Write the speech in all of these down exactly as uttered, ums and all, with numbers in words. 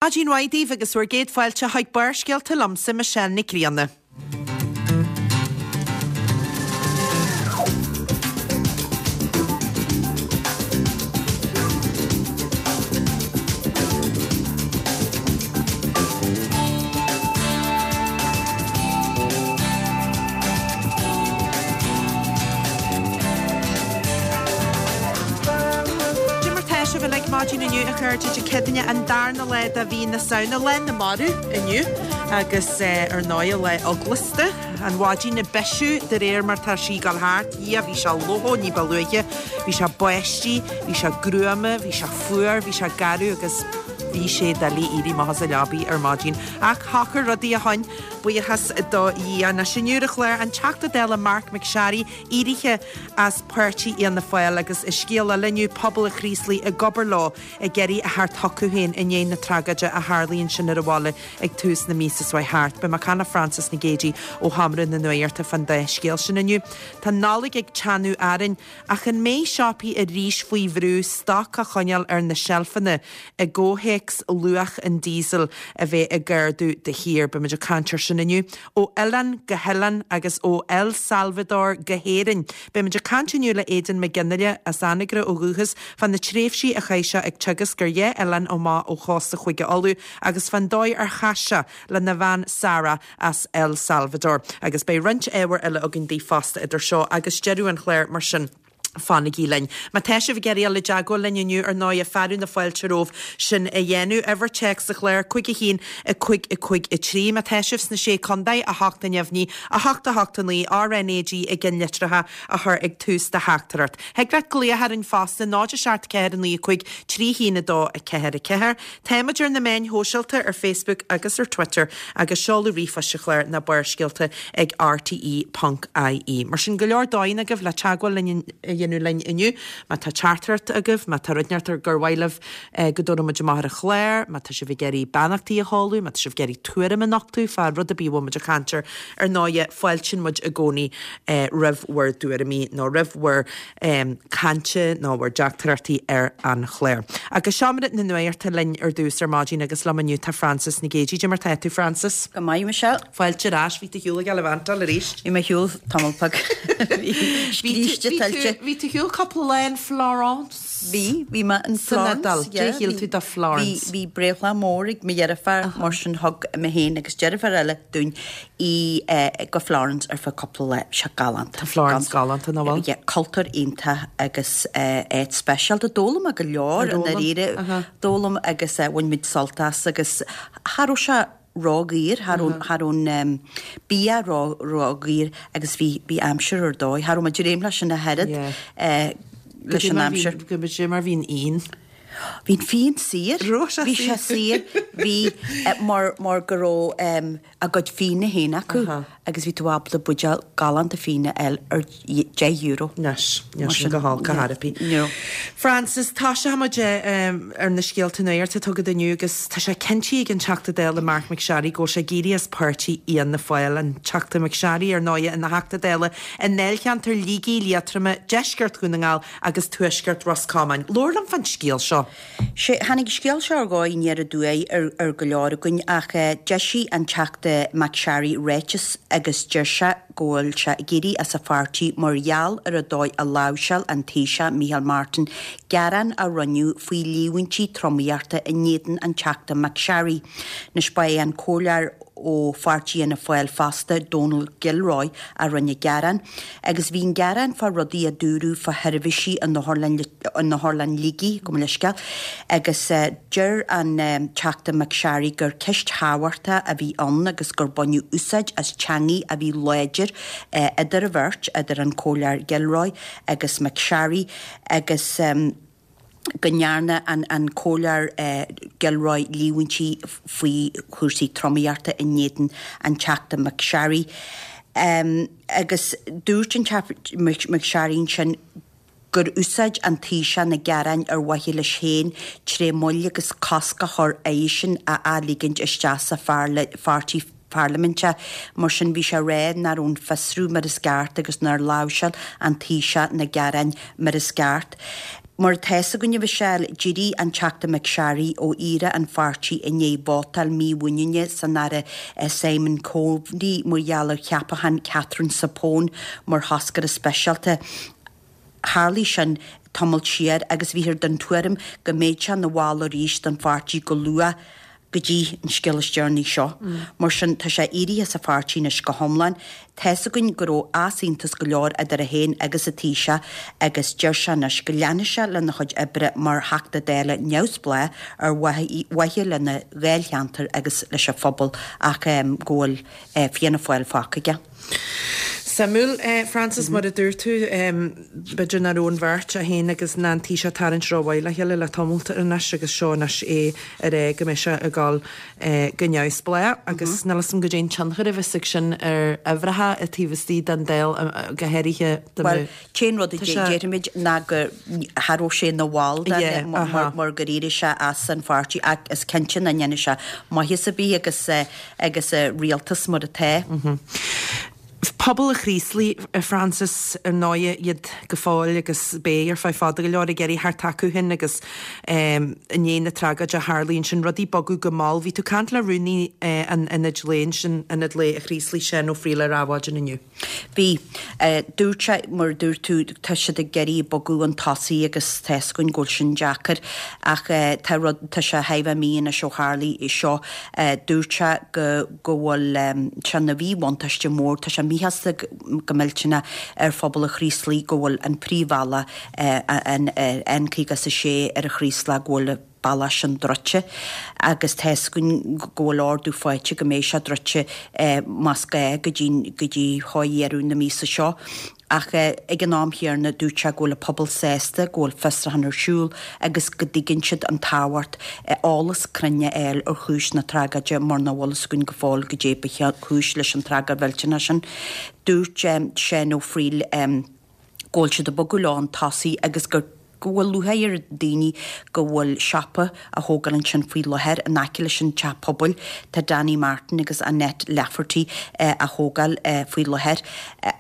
Maidin mhaith daoibh agus bhur gcéad fáilte chuig Barrscéalta liomsa Michelle Nic Grianna. Cad é mar tá sibh uilig maidin inniu a chairde Dé Céadaoine an darna lá de mhí na Samhna, lá na marbh inniu agus ar ndóigh lá eaglasta. An mhaidin ag bisiú de réir mar tá sí ag dul thart. Dhia bhí sé lofa ní ba luaithe, bhí sé báistí, bhí sé gruama, bhí sé fuar, bhí sé garbh agus bhí sé doiligh éirí amach as an leabaidh ar maidin. Ach shocair rudaí ó shin, buíochas do Dhia. Anois inniu ar an chlár an Teachta Dála Marc MacSharry éirithe as páirtí Fhianna Fáil agus i scéal eile inniu pobal an Chraoslaigh ag obair leo ag iarraidh a theacht chucu féin i ndiaidh na tragóide a tharlaigh ansin ar an bhaile ag tús na míosa seo thart. Beidh mé ag caint le Frances Nic Géadaigh ó Sheomra na Nuachta fán dá scéal sin inniu. Tá Nollaig ag teannadh orainn ach an mbeidh siopaí arís faoi bhrú stoc a choinneáil ar na seilfeanna i gcomhthéacs luach an diesel a bheith ag ardú de shíor. Beimid ag caint air sin inniu. Ó oileán go hoileán agus ó El Salvador go hÉirinn. Beimid ag caint inniu le Aidan Mac Fhionnghaile as Anagaire ó dhúchas fá na tréimhsí a chaith sé ag teagasc ar dhá oileán amach ó chósta Chúige Uladh agus fán dóigh ar chas sé lena bhean Sarah as El Salvador. Agus beidh roinnt ábhar eile againn daoibh fosta idir seo agus deireadh an chláir mar sin. Fanaigí linn. Má tá sibh ag iarraidh dul i dteagmháil linn inniu ar ndóigh fearadh na fáilte romhaibh sin a dhéanamh. Uimhir téacs sa chlár cúig a haon a cúig a cúig a trí. Má tá sibh sna sé contae a hocht a neamhní a hocht a hocht a naoi RNAG i gceannlitreacha a chur ag tús do theachtaireacht. Thig leat glaoch orainn fosta náid a seacht ceathair a naoi a cúig trí haon a dó a ceathair a ceathair. Táimid ar na meáin shóisialta ar Facebook agus ar Twitter agus seoladh ríomhphoist an chláir ná barrscéalta ag rte ponc ie. Mar sin go leor dóigheanna agaibh le teagmháil linn a dhéanamh linn inniu, má tá teachtaireacht agaibh, má tá rud inteacht gur mhaith libh go dtabharfaidh muid amach ar an chlár, má tá sibh ag iarraidh beannachtaí a sheoladh, má tá sibh ag iarraidh tuairim a nochtadh fá rud ar bith a bhfuil muid ag caint air, ar ndóigh fáiltíonn muid i gcónaí roimh bhur dtuairimí nó roimh bhur cainte nó bhur dteachtaireachtaí ar an chlár. Agus seomra na nuachta linn ar dtús ar maidin agus liom inniu tá Frances Nic Géadaigh. Cad é mar tá tú Frances? Go maith Michelle. Fáilte ar ais, bhí tú ar shiúl ag Elevantal arís. Bhí mé ar shiúl tamall beag. Scríste tuillte. Bhí tú ar shiúl cúpla lá in Florence. Bhí, bhí mé in San Florence. Iodáil. Cad é shíl tú de Florence? Bhí, bhí breithlá mór ag mo dheirfiúr, mar sin thug mé féin agus deirfiúr eile dúinn í go Florence ar feadh cúpla lá. Bhí sé galánta. Tá Florence galánta, nach bhfuil? Yeah, cultúr iontach agus áit speisialta. D'fhoghlaim mé go leor i ndáiríre. D'fhoghlaim agus bhain muid sult as agus cha raibh sé ródhaor, cha raibh, cha raibh an bia ró, ródhaor agus bhí, bhí aimsir ar dóigh. Cha raibh muid ag dréim leis an oiread leis an aimsir. Go dé mar bhí an fhíon. Bhí an fíon saor. Raibh sé Bhí sé saor. Bhí, mar, mar go raibh a gcuid fíona féin acu agus bhí tú ábalta buidéal galánta fíona a fháil ar deich euro. Anois, níl sin go holc ar chor ar bith. No. Frances, tosóidh muid ar na scéalta nuachta atá agat inniu agus tá sé cinntithe ag an Teachta Dála Marc MacSharry go bhfuil sé ag éirí as páirtí Fhianna Fáil. An Teachta MacSharry, ar ndóigh, ina Theachta Dála i ndáilcheantar Shligigh, Liatroma, Deisceart Dhún na nGall agus Tuaisceart Ros Comáin. Labhair liom fán scéal seo. Sé, tháinig an scéal seo ar dhóigh aniar aduaidh ar, ar go leor againn ach d'eisigh an Teachta MacSharry ráiteas agus deir sé go bhfuil sé ag éirí as an pháirtí mar gheall ar an dóigh a láimhseáil an Taoiseach Micheál Martin gearán a rinneadh faoi líomhaintí tromaíochta in éadan an Teachta MacSharry. Anois ba é an comhairleoir ó pháirtí Fhianna Fáil fosta, Donal Gilroy, a rinne an gearán agus bhí an gearán fá rudaí a dúradh fá sheirbhísí in Otharlann in Otharlann Shligigh, gabh mo leithscéal, agus deir an Teachta MacSharry gur ceist thábhachtach a bhí ann agus gur baineadh úsáid as teangaidh a bhí láidir idir an bheirt, idir an Comhairleoir Gilroy agus MacSharry agus. go ndearna an an Comhairleoir Gilroy líomhaintí faoi chúrsaí tromaíochta in éadan an Teachta MacSharry. Agus dúirt an Teachta MacSharry ansin gur úsáid an Taoiseach na gearáin ar mhaithe leis féin tré moill agus cosc a chur eisean a athligint isteach sa pháirtí parlaiminte. Mar sin bhí sé ag rá nach raibh an fiosrú mar is ceart agus nár láimhseáil an Taoiseach na gearáin mar is ceart. Mar atá a fhios againn, a Mhichelle, d'éirigh an Teachta McSharry ó iarraidh an pháirtí i ndiaidh vótáil mímhuiníne san Aire Simon Coveney mar gheall ar cheapachán Catherine Zappone mar thoscaire speisialta. Tharlaigh sin tamall siar agus bhíthear den tuairim go mbeadh sé ina bhall arís den pháirtí go luath go dtí an scéal is deireanaí seo. Mar sin, tá sé éirithe as an pháirtí anois go hiomlán. Tá fhios againn go raibh easaontas go leor idir é féin agus an Taoiseach agus deir sé anois go leanfaidh sé lena chuid oibre mar Theachta Dála neamhspleách ar mhaithe lena dháilcheantar agus leis an phobal ach go bhfuil Fianna Fáil fágtha aige. Suimiúil, Frances, mar a dúirt tú, b'fhéidir nach raibh an bheirt, é féin agus ná an Taoiseach ag tarraingt rómhaith le chéile le tamalt anois agus seo anois é ag rá go mbeidh sé ag dul go neamhspleách agus níl 'fhios a'm goidé an tionchar a bheas ag sin ar uimhreacha i taobh istigh den Dáil go háirithe dá Bhuel, t-aon rud a déarfaimid ná go cha raibh sé ina bhall den mar gur éirigh sé as an pháirtí ach is cinnte nach ndéanfaidh sé maitheas ar bith agus agus rialtas mar atá. Pobal an Chraoslaigh, a Frances, ar ndóighe, iad go fóill agus beidh ar feadh fada go leor ag iarraidh theacht acu féin agus i ndiaidh na tragóide a tharlaigh ansin, rudaí ag bogadh go mall. Bhí tú ag caint le rúnaí an Ionaid Lae ansin, Ionad Lae an Chraoslaigh, Seán Ó Frighil ar Adhmhaidin inniu. Bhí. Dúirt sé, mar a dúirt tú, tá siad ag iarraidh bogadh chun tosaigh agus tá fhios againn go bhfuil sin deacair ach tá rud, tá sé thar a bheith mí anois ó tharlaigh seo. Dúirt sé go go bhfuil sé ina mhíbhuntáiste mór, tá sé míshásta go millteanach ar phobal an Chraoslaigh go bhfuil an príomhbhealach, an N caoga is a sé ar an Chraoslach, go bhfuil bealach sin druidte agus tá fhios againn go bhfuil ordú faighte go mbeidh sé druidte más gá go dtí go dtí dheireadh na míosa seo. Ach ag an am chéanna dúirt sé go bhfuil an pobal sásta go bhfuil fiosrúchán ar siúl agus go dtuigeann siad an tábhacht eolas cruinn a fháil ar chúis na tragóide mar nach bhfuil fhios againn go fóill goidé ba chúis leis an tragóid mhillteanach sin. Dúirt Seán Ó Frighil go bhfuil siad ag bogadh leo chun tosaigh agus gur go bhfuil lúcháir ar daoine go bhfuil siopa á thógáil ansin faoi láthair in aice leis an teach pobail. Tá Danny Martin agus Annette Lafferty á thógáil faoi láthair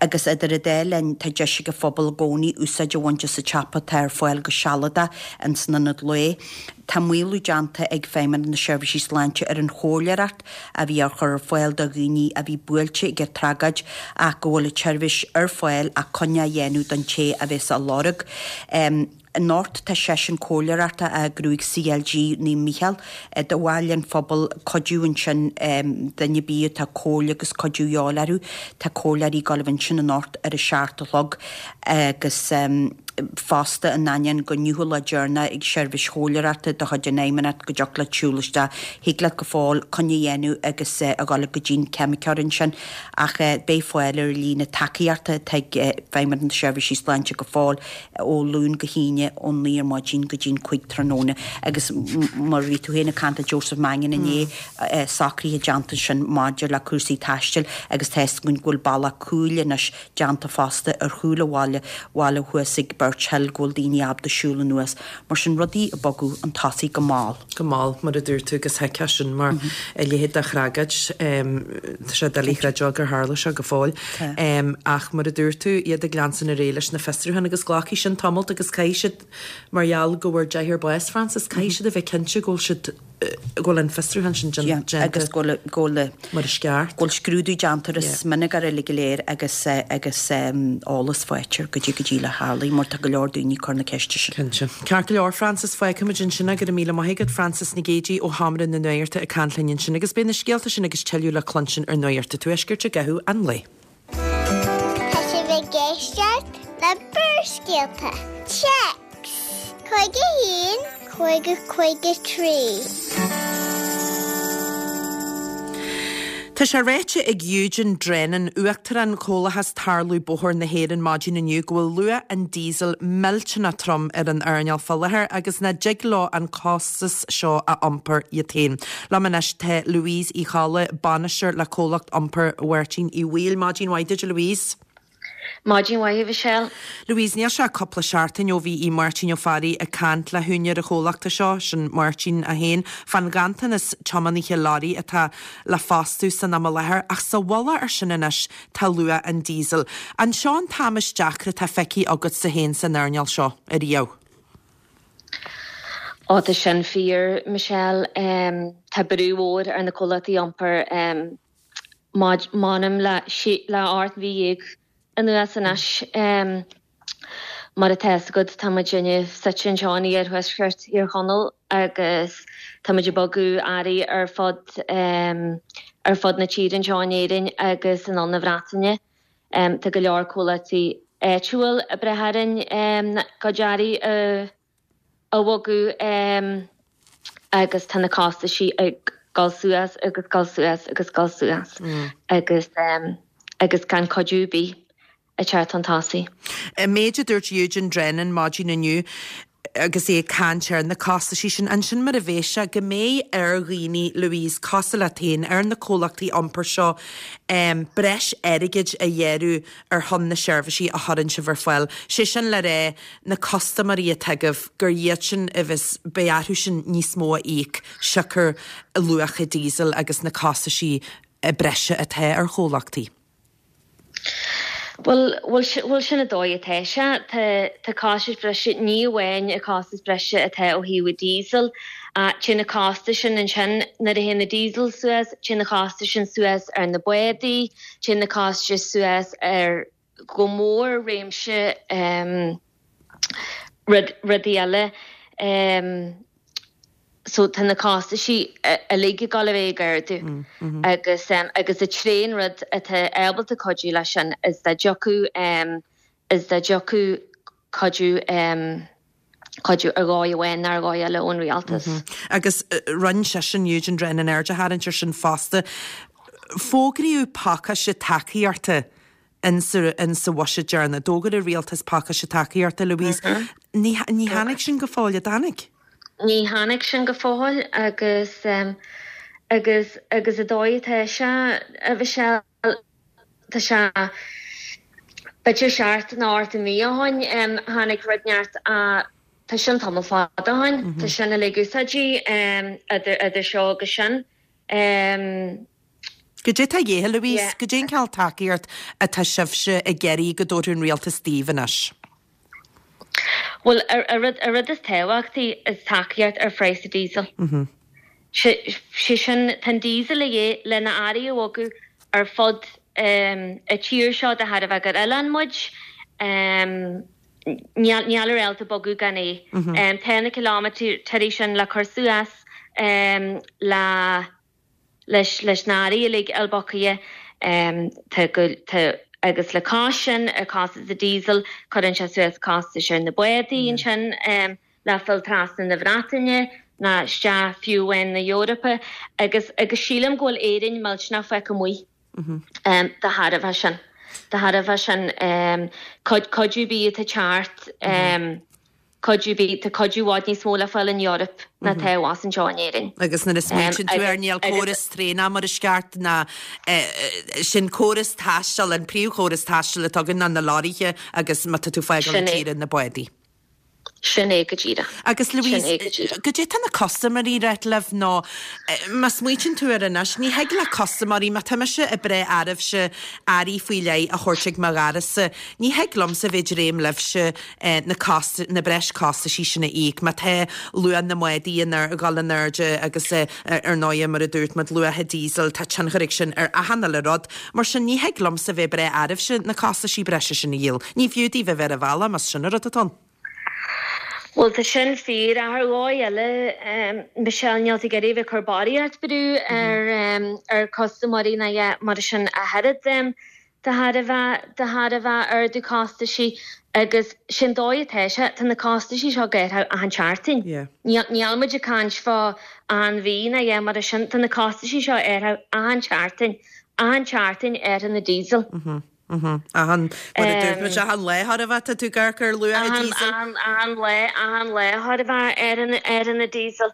agus idir an dá linn tá deis ag an phobal i gcónaí úsáid a bhaint as an tsiopa atá ar fáil go sealadach ins an ionad lae. Tá maolú déanta ag Feidhmeannacht na Seirbhísí Sláinte ar an chomhairleoireacht a bhí á chur ar fáil do dhaoine a bhí buailte ag an tragóid ach go bhfuil an tseirbhís ar fáil ach coinne a dhéanamh don té a bheas á lorg. Anocht tá seisiún comhairleoireachta á eagrú ag CLG Naomh Mícheál do bhaill an phobail cuidiú ansin duine ar bith atá comhairle agus cuidiú a dhíobháil orthu. Tá comhairleoirí ag gabháil a bheith ansin anocht ar a seacht a chlog agus fosta in ainneoin gur inniu an lá deireanach ag seirbhís chomhairleoireachta de chuid an Fheidhmeannacht go dtiocfadh leat siúl isteach, thig leat go fóill coinne a dhéanamh agus a dhul go dtí'n ceimiceoir ansin ach beidh fáil ar an líne tacaíochta atá ag Feidhmeannacht na Seirbhísí Sláinte go fóill ó Luan go hAoine ón naoi ar maidin go dtí'n cúig tráthnóna agus mar a bhí tú féin ag caint le Joseph Mannion inné socruithe déanta ansin maidir le cúrsaí taistil agus tá fhios againn go bhfuil bealach cúil anois déanta fosta ar chúl an bhaile bhaile thuas ag Birch Hill go bhfuil daoine ábalta siúl anuas. Mar sin rudaí ag bogadh chun tosaigh go mall. Go mall, mar a dúirt tú, agus thuigfeá sin mar a leithéid de thragóid, tá sé doiligh a chreidiúint gur tharla seo go fóill. Ach mar a dúirt tú, iad ag leanstan ar aghaidh leis na fiosrúcháin agus glacfaidh sin tamalt agus caithfidh siad, mar gheall go bhfuair deichniúr bás, Frances, caithfidh siad a bheith cinnte go bhfuil siad, go bhfuil an fiosrúchán sin déanta agus go bhfuil mar is ceart. Go bhfuil scrúdú déanta ar an smionagar uilig go léir agus agus eolas faighte ar goidé go díreach a tharlaigh mar tá go leor daoine ag cur na ceiste sin. Cinnte. Ceart go leor, Frances, fágfaimid ansin é. Go raibh míle maith agat, Frances Nic Géadaigh ó Sheomra na Nuachta ag caint linn ansin agus beidh na scéalta sin agus tuilleadh le cluinstin ar Nuacht an Tuaiscirt i gcaitheamh an lae. Tá sibh ag éisteacht le Barrscéalta. Téacs cúig a haon, cúig a cúig a trí. Tá sé ráite ag Eugene Drennan, Uachtarán Chomhlachas Tarlú Bóthair na hÉireann maidin inniu go bhfuil luach an díosail millteanach trom ar an earnáil fá láthair agus nach dtig leo an costas seo a iompar iad féin. Liom anois tá Louise Uí Cholla, Bainisteoir le Comhlacht Iompair Mháirtín Uí Bhaoill. Maidin mhaith duit a Louise. Maidin mhaith a Mhichelle. Louise, níl sé ach cúpla seachtain ó bhí Máirtín Ó Fearraigh ag caint le húinéir an chomhlachta seo, sin Máirtín é féin, fán ghanntanas tiománaithe leoraí atá le fostú san am i láthair, ach sa mhullach ar sin anois tá luach an díosail. An seo an t-am is deacra atá feicthe agatsa féin san earnáil seo ariamh? Ó tá sin fíor Michelle um, tá brú mór ar na comhlachtaí iompair um, m'anam le le ocht mhí dhéag anuas anois um, mar atá agat tá muidinne suite anseo in iarthuaisceart Thír Chonaill agus tá muid ag bogadh earraí ar fud um, ar fud na tíre anseo in Éirinn agus in ann na Breataine. Um, tá go leor comhlachtaí áitiúil ag brath orainn um, go earraí uh, a bhogadh um, agus tá na costaisí ag dul suas agus dul suas agus dul suas mm. agus um, agus gan cuidiú ar bith ag teacht chun tosaigh. Méid a dúirt Eugene Drennan maidin inniu agus é ag caint ar na costaisí sin ansin mar a bheas sé go mbeidh ar dhaoine Louise cosúil leat féin ar na comhlachtaí iompair seo um, breis airgid a ghearradh ar shon na seirbhísí a chuireann sibh ar fáil. Sé sin le rá na custaiméirí atá agaibh gur iad sin a bheas beidh orthu sin níos mó a íoc siocair luacha diesel agus na costaisí breise atá ar chomhlachtaí. Well bhuel sin an dóigh atá sé tá costas breise ní amháin a costas breise atá ó thaobh diesel téann na costais sin ansin nuair a théann na diesel suas, téann na costais sin suas ar na bádaí, téann na costais suas ar go mór réimse um, rudaí eile. Um, so tá na costaisí uilig ag gabháil a bheith ag ardú mm, mm -hmm. agus um, agus an t-aon rud atá ábalta cuidiú leis sin is dá dtiocfadh um, is dá dtiocfadh cuidiú um, cuidiú ar dhóigh amháin ar dhóigh eile ón rialtas. Mm -hmm. Agus uh, rinne seisean Eugene Drennan aird a tharraingt ar sin fosta. Fógraíodh pacáiste tacaíochta in sa in sa bhuiséad deireanach. D'fhógair an rialtas pacáiste tacaíochta Louise. Mm -hmm. Ní, ní tháinig sin go fóill an dtáinig? Ní tháinig sin go fóill agus um, agus agus an dóigh atá sé a bhí sé tá sé b'fhéidir seachtain nó ocht mí ó shin um, tháinig rud neart a tá sin tamall fada ó shin mm -hmm. tá sin le úsáidí um, idir idir seo agus sin. Um, Goidé tá de dhíth Louise, yeah. Goidé an cineál tacaíocht atá sibhse ag iarraidh go dtabharfadh an rialtas daoibh anois. Well an rud is tábhachtaí is tacaíocht ar phraghas diesel. Mm -hmm. sé sin tá diesel é lena earraí a bhogadh ar fud um, an tír seo de thairbhe gur oileán muid um, níl ábalta bogadh gan é. Mm -hmm. um, Tá na kilometer sin le cur suas um, le leis leis na hearraí uilig a bhogadh um, agus le cás sin ar cás a diesel cuireann sé suas costas ar na bádaí mm. sin um, le fáil trasna na Breataine ná isteach fiú in na Eorpa agus agus sílim go bhfuil Éirinn millteanach fágtha amuigh mm -hmm. um, de thairbhe sin de thairbhe sin um, cuidiú ar bith atá ag teacht um, cuidiú ar bith tá cuidiú i bhfad níos mó le fáil in Eoraip ná tá as anseo in Éirinn. Agus na smaointíonn tú ar níl córas traenach mar is ceart ná sin córas taistil an príomhchóras taistil atá againn ná na leoraithe agus má tá tú fágáil na tíre na bádaí. Sin é go díreach. Agus Louise, goidé tá na custaiméirí ag ráit libh nó má smaoitíonn tú ar anois, ní thig le custaiméirí má tá mise ag brath oraibhse earraí faoi leith a thabhairt ag mo dhoras-sa, ní thig liomsa bheith ag dréim libhse na cost na breis costaisí sin a íoc, má tá luach na mbádaí ag dul in airde agus ar ndóigh mar a dúirt muid luacha diesel tá tionchar ag sin ar achan uile rud, mar sin ní thig liomsa bheith ag brath oraibhse na costaisí breise sin a dhíol. Ní fiú daoibh a bheith ar an bhealach más sin an rud atá ann. Well tá sin fíor ar dhóigh eile Michelle níl tú ag iarraidh bheith ag cur barraíocht brú ar um, ar custaiméirí na mar sin a thaird um, de thairbhe de thairbhe ardú costaisí agus sin dóigh atá sé tá na costaisí seo ag athrú achan tseachtain. Níl muid ag caint fá an mhí na dhe mar sin tá na costaisí seo ag athrú achan tseachtain achan tseachtain ar an na diesel. Mm -hmm. Achan achan lá thar a bheith tú gar ar luacha diesel? Achan lá achan lá thar a bheith ar ar an na diesel.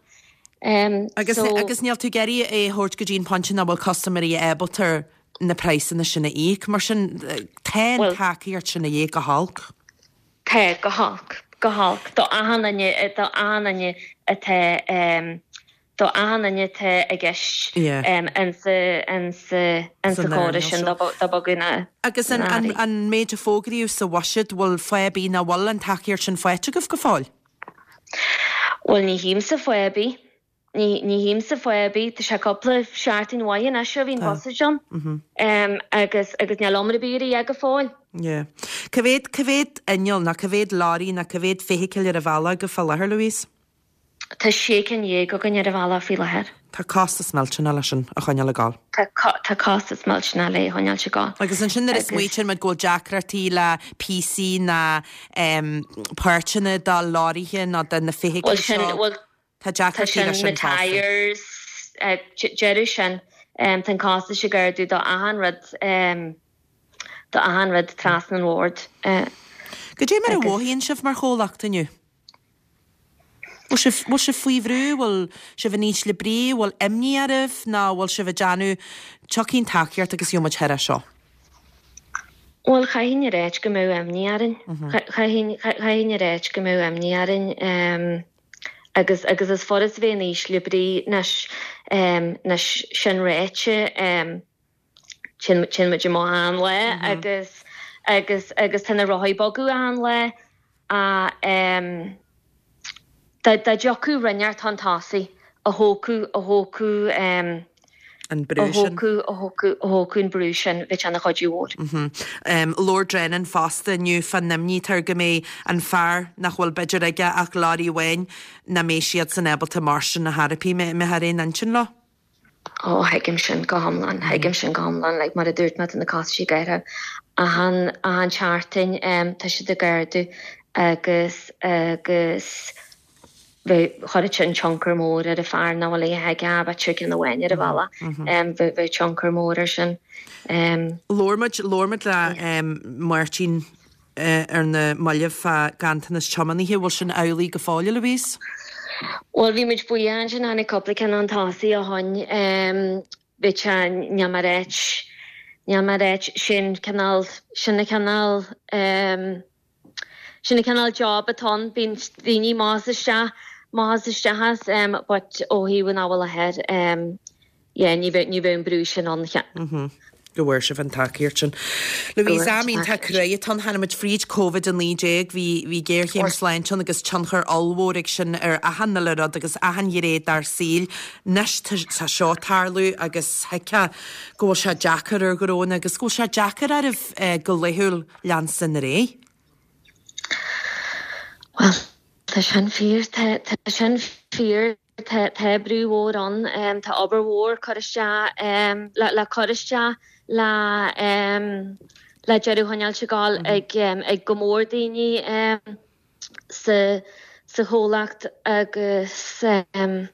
Um, agus so, agus níl tú ag iarraidh é thabhairt go dtí an pointe nach bhfuil custaiméirí ábalta na praghsanna sin a íoc, mar sin tá an tacaíocht sin a dhíth go holc. Tá go holc go holc do achan duine do achan duine atá um, do achan duine atá i gceist insa chóras sin do bogadh na. Agus an, an, an méid a fógraíodh sa bhuiséad bhfuil fáth ar bith nach bhfuil an tacaíocht sin faighte agaibh go fóill? Bhuel ní shímsa faoi ar bith. Ní ní shímsa faoi ar bith. Tá sé cúpla seachtain uaidh anois ó bhí an bus ann agus agus níl iomra bith ar a go fóill. Yeah. Cá mhéad cá mhéad inneall nó cá mhéad leoraí nó cá mhéad feithicil ar an bhealach go fá láthair, Louise? Tá sé cinn dhéag againn ar an bhealach faoi láthair. Tá costas millteanach leis sin a choinneáil ag gabháil. Tá costas millteanach le choinneáil ag gabháil. Agus ansin nuair a smaoitíonn muid go bhfuil deacrachtaí le píosaí ná páirteanna de leoraithe nó de na feithiclí seo, tá deacrachtaí leis sin na tyres, deireadh sin, tá an costas ag ardú do achan rud, do achan rud trasna an bhord. Goidé mar a mhothaíonn sibh mar chomhlacht inniu? Bhfuil sibh, bhfuil sibh faoi bhrú, bhfuil sibh in ísle brí, bhfuil imní oraibh nó bhfuil sibh ag déanamh tiocfaidh an tacaíocht agus gheobhaidh muid thar é seo? Bhuel, chaithfinn a ráit go mbeadh imní orainn. Chaithfinn, chaithfinn a ráit go mbeadh imní orainn agus, agus is furast bheith in ísle brí anois, anois sin ráite, téann, téann muid amach achan lá agus, agus, agus tá na rothaí ag bogadh achan lá ach dá dtiocfadh rud inteacht chun tosaigh a thógfadh, a thógfadh, An brú a sin. thógfadh, a thógfadh, a thógfadh an brú sin, bheadh sé ina chuidiú mhór. Labhair Drennan fosta inniu fán imní atá air go mbeidh an fear nach bhfuil b'fhéidir aige ach leoraí amháin, nach mbeidh siadsan ábalta mairstin ar chor ar bith, mbeifeá ar aon intinn leo. Ó, thuigim sin go hiomlán, thuigim sin go hiomlán, like mar a dúirt mé tá na costais ag athrú achan, achan tseachtain, tá siad ag ardú agus, agus bheadh, chuirfeadh sin tionchar mór ar an fear nach bhfuil a dhath aige ach b'fhéidir ceann amháin ar an bhealach, bheadh, bheadh tionchar mór ar sin. Labhair muid, labhair muid le Máirtín ar na mallaibh fá ganntanas tiománaithe, bhfuil sin amhlaidh go fóill, a Louise? Bhuel, bhí muid buíoch ansin, tháinig cúpla ceann chun tosaigh ó shoin, bhí sé, níl mé ag ráit, níl mé ag ráit, sin cineál, sin an cineál, sin an cineál job atá ann, bíonn daoine amach is isteach, amach is isteach as, but ó thaobh an am i láthair, yeah, ní bheadh, ní bheadh an brú sin ann. Go bhfuair sibh an tacaíocht sin. Louise, am iontach cruaidh atá ann. Tháinig muid fríd Covid a naoi déag, bhí bhí géarchéim sláinte ann agus tionchar ollmhór ag sin ar achan uile rud agus achan ghné dár saoil. Anois tá tá seo ag tarlú agus thuigfeá go bhfuil sé deacair ar ghnónna agus go bhfuil sé deacair oraibh go laethúil leanstan ar aghaidh. Bhuel, tá sin fíor, tá tá sin fíor. Tá tá brú mhór ann, tá obair mhór cur isteach le le cur isteach le le deireadh a choinneáilt ag gabháil ag ag go mór daoine sa sa chomhlacht agus sin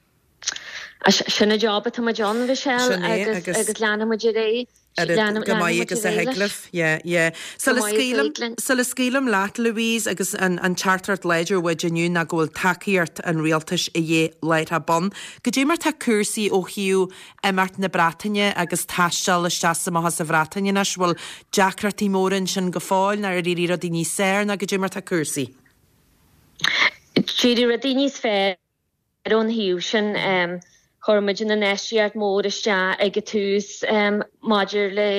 an job atá muid ann, Michelle, agus agus leanfaidh muid ar aghaidh. Oiread go maith agus a thig libh. Yeah, yeah. Sula scaoilim, sula scaoilim leat, Louise, agus an, an teachtaireacht láidir uait inniu ná go bhfuil tacaíocht an rialtais a dhíth láithreach bonn. Goidé mar tá cúrsaí ó thaobh imeacht na Breataine agus taisteal isteach is amach as an Bhreatain anois, bhfuil deacrachtaí móra ansin go fóill nó ar éirigh rudaí níos fearr nó goidé mar tá cúrsaí? D'éirigh rudaí níos fearr. Ar an thaobh sin, chuir muid an infheistíocht mhór isteach ag an tús maidir le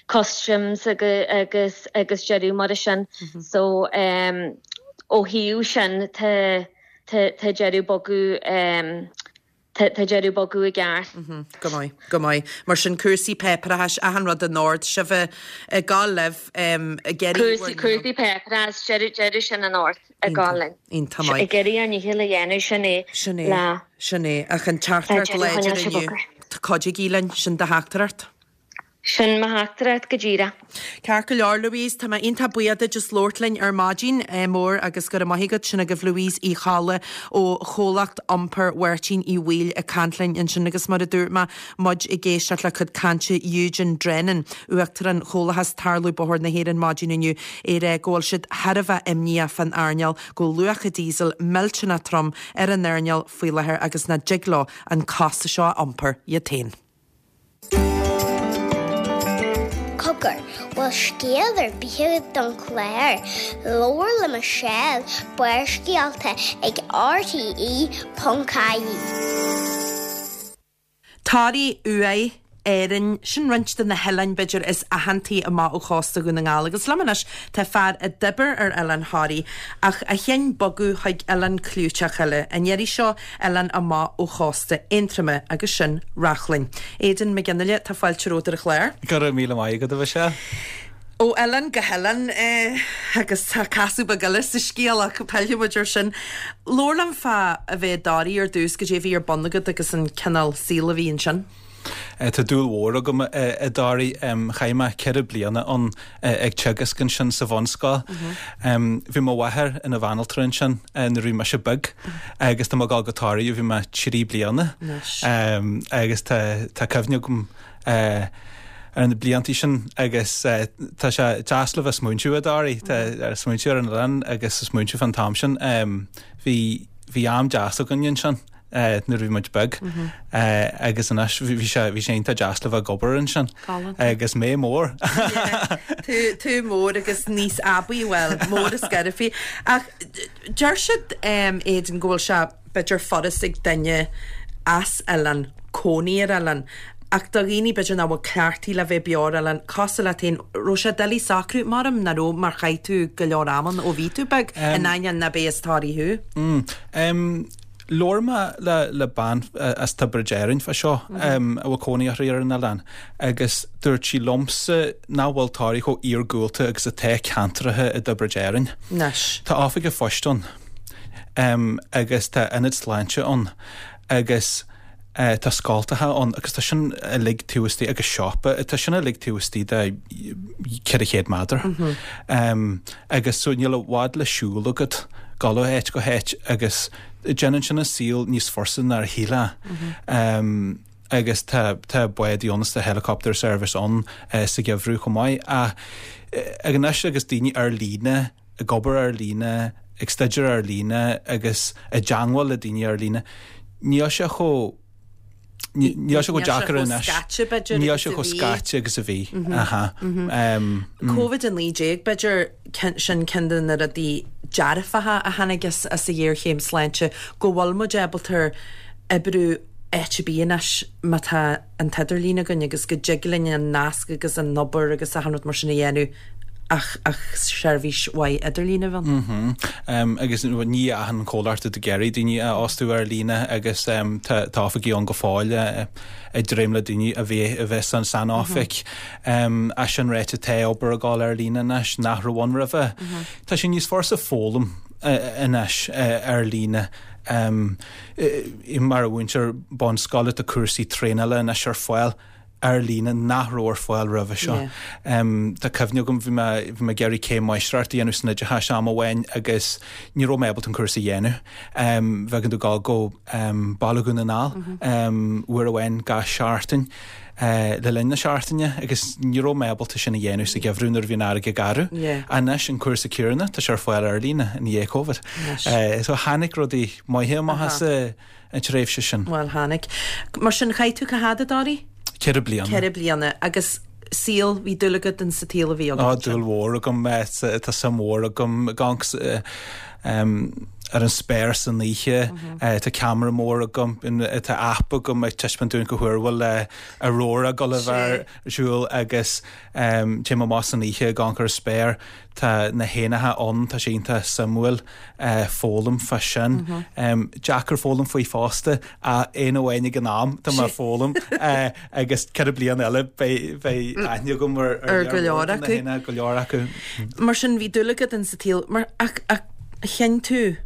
customs agus agus deireadh mar sin. So ó thaobh sin tá tá deireadh bogadh tá deireadh bogadh i gceart. Go maith, go maith. Mar sin cúrsaí páipéarachais, achan rud in ord, sibh ag gabháil libh ag iarraidh Cúrsaí cúrsaí páipéarachais, deireadh deireadh sin in ord. Ag gabháil linn. Iontach maith. Ag iarraidh ár ndícheall a dhéanamh, sin é. Sin é. Le. Sin é. Ach an teachtaireacht láidir inniu. Cuidigí linn. Sin do theachtaireacht. Sin mo theachtaireacht go díreach. Ceart go leor, Louise, tá mé iontach buíoch duit as labhairt linn ar maidin mór agus go raibh maith agat. Sin agaibh Louise Uí Cholla ó Chomhlacht Iompair Mháirtín Uí Bhaoill ag caint linn ansin agus mar a dúirt mé, muid ag éisteacht le cuid cainte Eugene Drennan, Uachtarán Chomhlachas Tarlú Bóthair na hÉireann maidin inniu, é ag rá go bhfuil siad thar a bheith imníoch fán earnáil, go bhfuil luach an díosail millteanach trom ar an earnáil faoi láthair agus nach dtig leo an costas seo a iompar iad féin. Cogar, bhfuil scéal ar bith agat don chlár? Labhair le Michelle, Barrscéalta ag RTE ponc ie. Toraigh uaidh Árainn, sin roinnt de na hoileáin b'fhéidir is aitheantaí amach ó chósta Dhún na nGall agus liom anois tá fear a d'oibir ar oileán Thoraí ach a chinn bogadh chuig oileán clúiteach eile, an iarraidh seo oileán amach ó chósta Aontroma agus sin Reachlainn. Aidan Mac Fhionnghaile, tá fáilte romhat ar an chlár. Go raibh míle maith agat a Mhichelle. Ó oileán go hoileán agus tá casadh beag eile sa scéal ach pillfidh muid air sin. Labhair liom fá a bheith i dToraigh ar dtús, goidé a bhí ar bun agat agus an cineál saoil a bhí ansin. Tá dúil mhór agam i dToraigh. Chaith mé ceithre bliana ann ag teagasc ansin sa bhunscoil. Bhí mo mháthair ina bhanaltra ansin nuair a bhí mise beag agus tá mé ag dul go Toraigh ó bhí mé trí bliana. Agus tá cuimhne agam ar na blianta sin agus tá sé deas le bheith smaointiú i dToraigh, tá smaointiú ar an oileán agus smaointiú fán t-am sin. Bhí bhí am deas againn ansin. nuair a bhí muid beag agus anois bhí sé bhí sé iontach deas le bheith ag obair ansin agus mé mór. Tú tú mór agus níos aibí bhuel mór is scairbhí. Ach deir siad Aidan go bhfuil sé b'fhéidir furast ag duine as oileán cónaí ar oileán. Ach do dhaoine b'fhéidir nach bhfuil cleachtaithe le bheith beo ar oileán, cosúil leat féin, raibh sé doiligh socrú? Maram nach raibh mar chaith tú go leor ama ann ó bhí tú beag, in ainneoin nach b'é as Toraigh thú. Labhair mé le bean as Tiobraid Árann fá seo a bhfuil cónaí uirthi ar an oileán agus dúirt sí liomsa nach bhfuil Toraigh chomh iargúlta agus atá ceantracha i dTiobraid Árann. Tá oifig an phoist ann agus tá ionad sláinte ann agus tá scoltacha ann agus tá sin uilig taobh istigh agus siopa, tá sin uilig taobh istigh de ceithre chéad méadar. Agus so níl i bhfad le siúl agat dul ó áit go háit agus déanann sin an saol níos fursa ná a shílfeá. Agus tá tá bádaí ann is tá helicopter service ann sa gheimhreadh chomh maith. Ach ag anois agus daoine ar líne, ag obair ar líne, ag staidéar ar líne agus i dteangmháil le daoine ar líne, níl sé chomh níl sé chomh deacair anois. Níl sé chomh scaite agus a bhí. Covid a naoi déag, b'fhéidir, sin ceann de na rudaí dearfacha a tháinig as an ghéarchéim sláinte, go bhfuil muid ábalta oibriú áit ar bith anois má tá an t-idirlíon againn agus go dtig linn an nasc agus an obair agus achan rud mar sin a dhéanamh ach ach seirbhís mhaith idirlín a bheith ann. Agus ní achan comhlacht atá ag iarraidh daoine a fhostú ar líne agus tá tá oifigí ann go fóill ag dréim le daoine a bheith a bheith san san oifig. É sin ráite tá obair ag dul ar líne anois nach raibh ann roimhe. Tá sé níos fursa foghlaim anois ar líne mar mhúinteoir bunscoile tá cúrsaí traenála anois ar fáil ar líne nach raibh ar fáil roimhe seo. Tá cuimhne agam bhí mé bhí mé ag iarraidh céim máistreachta a dhéanamh san oideachas am amháin agus ní raibh mé ábalta an cúrsa a dhéanamh. Bheadh tú ag dul go Baile Dhún na nGall uair amháin gach seachtain le linn na seachtaine agus ní raibh mé ábalta sin a dhéanamh sa gheimhreadh nuair a bhí an fharraige garbh. Anois an cúrsa céanna tá sé ar fáil ar líne i ndiaidh Covid. So tháinig rudaí maithe amach as an tréimhse sin. Bhuel tháinig. Mar sin chaith tú cá fhad i dToraigh? Ceithre bliana. Ceithre bliana. Agus saol, bhí dúil agat in sa tsaol a bhí agat. Á, dúil mhór agam. Tá suim mhór agam ag amharc ar an spéir san oíche. Tá ceamara mór agam, tá app agam ag taispeáint dúinn cá huair a bhfuil aurora ag dul a bheith ar siúl agus téim amach san oíche ag amharc ar an spéir. Tá na héanacha ann, tá sé iontach suimiúil foghlaim fá sin. Deacair foghlaim faoi fosta ach éan amháin ag an am tá mé ag foghlaim agus ceithre bliana eile beidh beidh aithne agam ar ar go leor acu. Go leor acu. Mar sin bhí dúil agat in sa tsaol mar ach ach chinn tú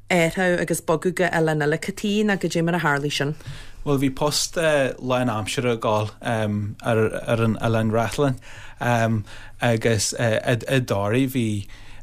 athrú agus bogadh go oileán eile cad chuige nó goidé mar a tharlaigh sin? Bhuel bhí post lán-aimsire ag dul ar ar an oileán Reachlainn agus i dToraigh bhí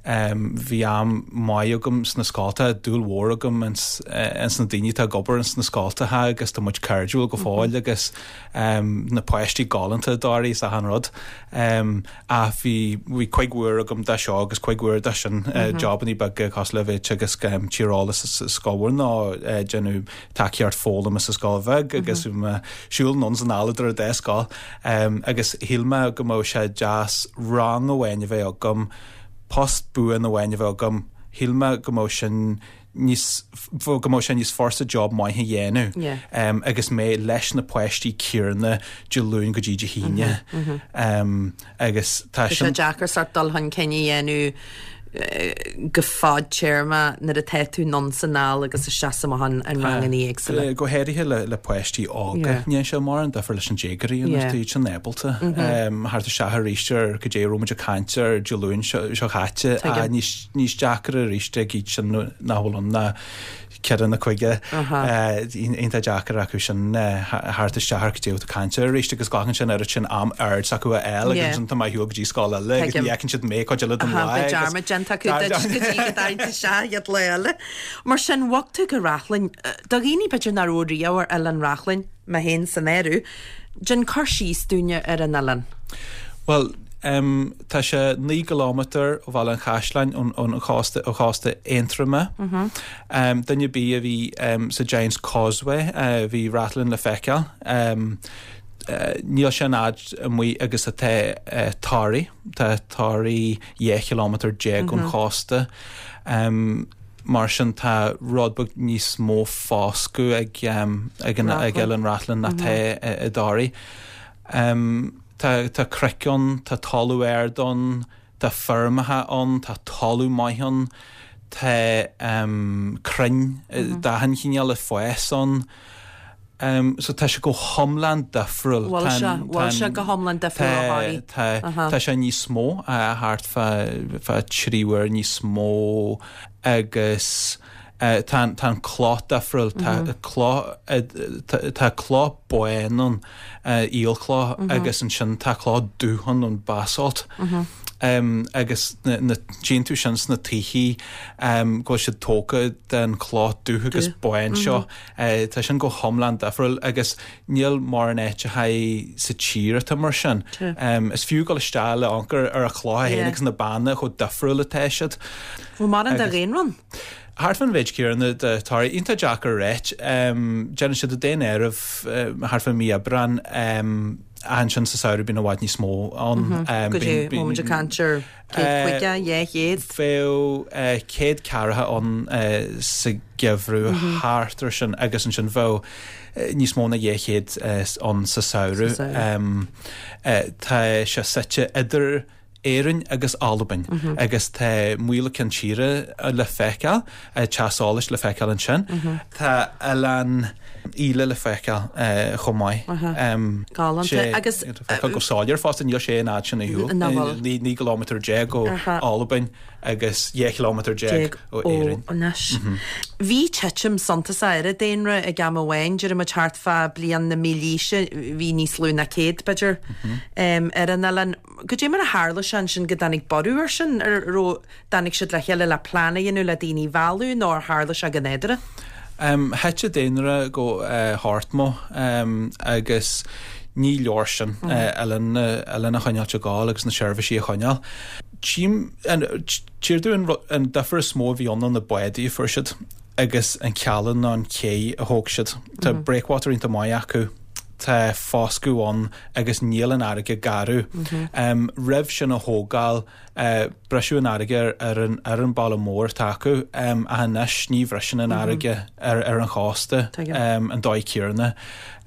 bhí am maith agam sna scoltacha, dúil mhór agam ins ins na daoine atá ag obair ins na scoltacha agus tá muid cairdiúil go fóill agus na páistí galánta i dToraigh is achan rud. Ach bhí bhí cuid mhór agam de seo agus cuid mhór de sin, jobannaí beaga cosúil le bheith ag teagasc tíreolas sa scoil mhór nó déanamh tacaíocht foghlama sa scoil bheag agus bhí mé siúl anonn is anall idir an dá scoil agus shíl mé go mbeadh sé deas rang amháin a bheith agam, post buan amháin a bheith agam, shíl mé go mbeadh sin níos go mbeadh sé níos furasta job maith a dhéanamh Yeah. um, agus mé leis na páistí céanna Dé Luain go dtí Dé hAoine um, agus tá Tá sé sin deacair sort dul chun cinn a dhéanamh eh, go fadtéarma nuair atá tú anonn 's anall agus isteach amach an an ranganna éagsúla. Eh, Go háirithe le le páistí óga Yeah. ní sé mar an difear leis an déagóirí Yeah. tá sin ábalta thart isteach arís ar go dé raibh muid ag caint ar Dé Luain seo seo caite Tuigim. níos níos deacra arís ag iad sin nach bhfuil ann ná ceithre nó cúig iontach deacair acu sin thart isteach ar go dé tú caint arís agus glacann sin ar sin am aird acu a eile Yeah. agus an tá mé go dtí scoil eile agus Tuigim. ní fheiceann siad mé chuid eile den Aha, lá Beidh agus- dearmad déanta acu duit go dtí go dtarraingt isteach iad lá eile. Mar sin bhog tú go Reachlainn, eh, do dhaoine b'fhéidir nach raibh riamh ar Oileán Reachlainn, mé féin san áireamh, déan cur síos dúinne ar an oileán. Well, um, tá sé naoi gcilometer ó Bhaile an Chaisleáin ón ón chósta ó chósta Aontroma. Mm -hmm. um, Duine bí a bhí um, sa Giant's Causeway uh, bhí Rathlin le feiceáil. Um, Uh, níl sé an fhad amuigh agus atá uh, Toraigh Tá Toraigh dhá kilometer déag ón chósta. Um, mar sin tá rud beag níos mó foscadh ag, um, ag, an, ag Rathlin. Oileán Rathlin ná tá i dToraigh. Um, tá, tá cnoic ann, tá talamh ard ann, tá feirmeacha ann, tá talamh maith ann, tá um, crainn mm -hmm. d'achan chineál ag fás ann. Um, so tá sé go hiomlán difriúil. Bhfuil Tá sé an- bhfuil sé tá an- go hiomlán difriúil ó Thoraí. Tá Aha. tá sé níos mó uh, thart fá fá trí huair níos mó agus uh, tá tá an cloch difriúil tá cloch uh, tá tá cloch bán ann uh, aolchloch agus ansin tá cloch dubh ann an basalt. Um, agus na, na déantú sin sna tithe um, go bhfuil siad tógtha den chloch dubh agus bán seo uh, tá sin go hiomlán difriúil agus níl mórán áiteacha sa tír atá mar sin. True. Um, is fiú go isteach le anchor ar a chloch Yeah. féin agus na beanna chomh difriúil atá siad. Bhfuil mar an de Agus- dhaonra? Thart fán mhéid céanna de Thoraigh iontach deacair ráit um, déanann siad daonáireamh um, thart fá mí Aibreán um, ansin sa samhradh bíonn i bhfad níos mó ann. Um, Go dtí bíonn- bíonn- móid caint ar céad caoga, dhá chéad. Bheadh uh, céad ceathracha ann uh, sa gheimhreadh thart ar sin agus ansin bheadh eh, níos mó ná dhá chéad uh, ann sa samhradh. Sa samhradh. Um, uh, tá sé suite idir Éirinn agus Albain agus tá Maoil Chionn Tíre le feiceáil, eh, Teas Eolais le feiceáil ansin. Tá Oileán Íle le feiceáil eh, chomh maith. Um, Galánta. sé- Agus, feiceáil go soiléir fosta níl sé an fhad sin ar shiúl. Nach bhfuil. Naoi naoi gcilometer déag ó Aha. Albain agus dhá kilometer déag Déag ó ó Éirinn. anois. Bhí titim suntasach ar an daonra ag am amháin deirim thart fá bliain na mílaoise bhí níos lú ná céad b'fhéidir um, ar an oileán. Goidé mar a tharla sé sin go dtáinig borradh ar sin ar ro dtáinig siad le chéile le plean a dhéanamh le daoine a mhealladh nó ar tharla sé go nádúrtha? Um, Thit an daonra go uh, thart um, agus ní leor sin mm. uh, oileán oileán a choinneáil ag gabháil agus na seirbhísí a choinneáil. Tím tírdú an, an difear is mó a bhí ann na báid a fuair siad agus an cealann ná an cé a thóg siad. Tá mm -hmm. breakwater iontach maith acu tá foscadh ann agus níl an fharraige garbh. Mm -hmm. um, roimh sin a thógáil uh, briseadh an fharraige ar an, ar an balla mór atá acu um, a anois ní bhriseann an fharraige ar, ar an chósta Tuigim. um, an dóigh céanna.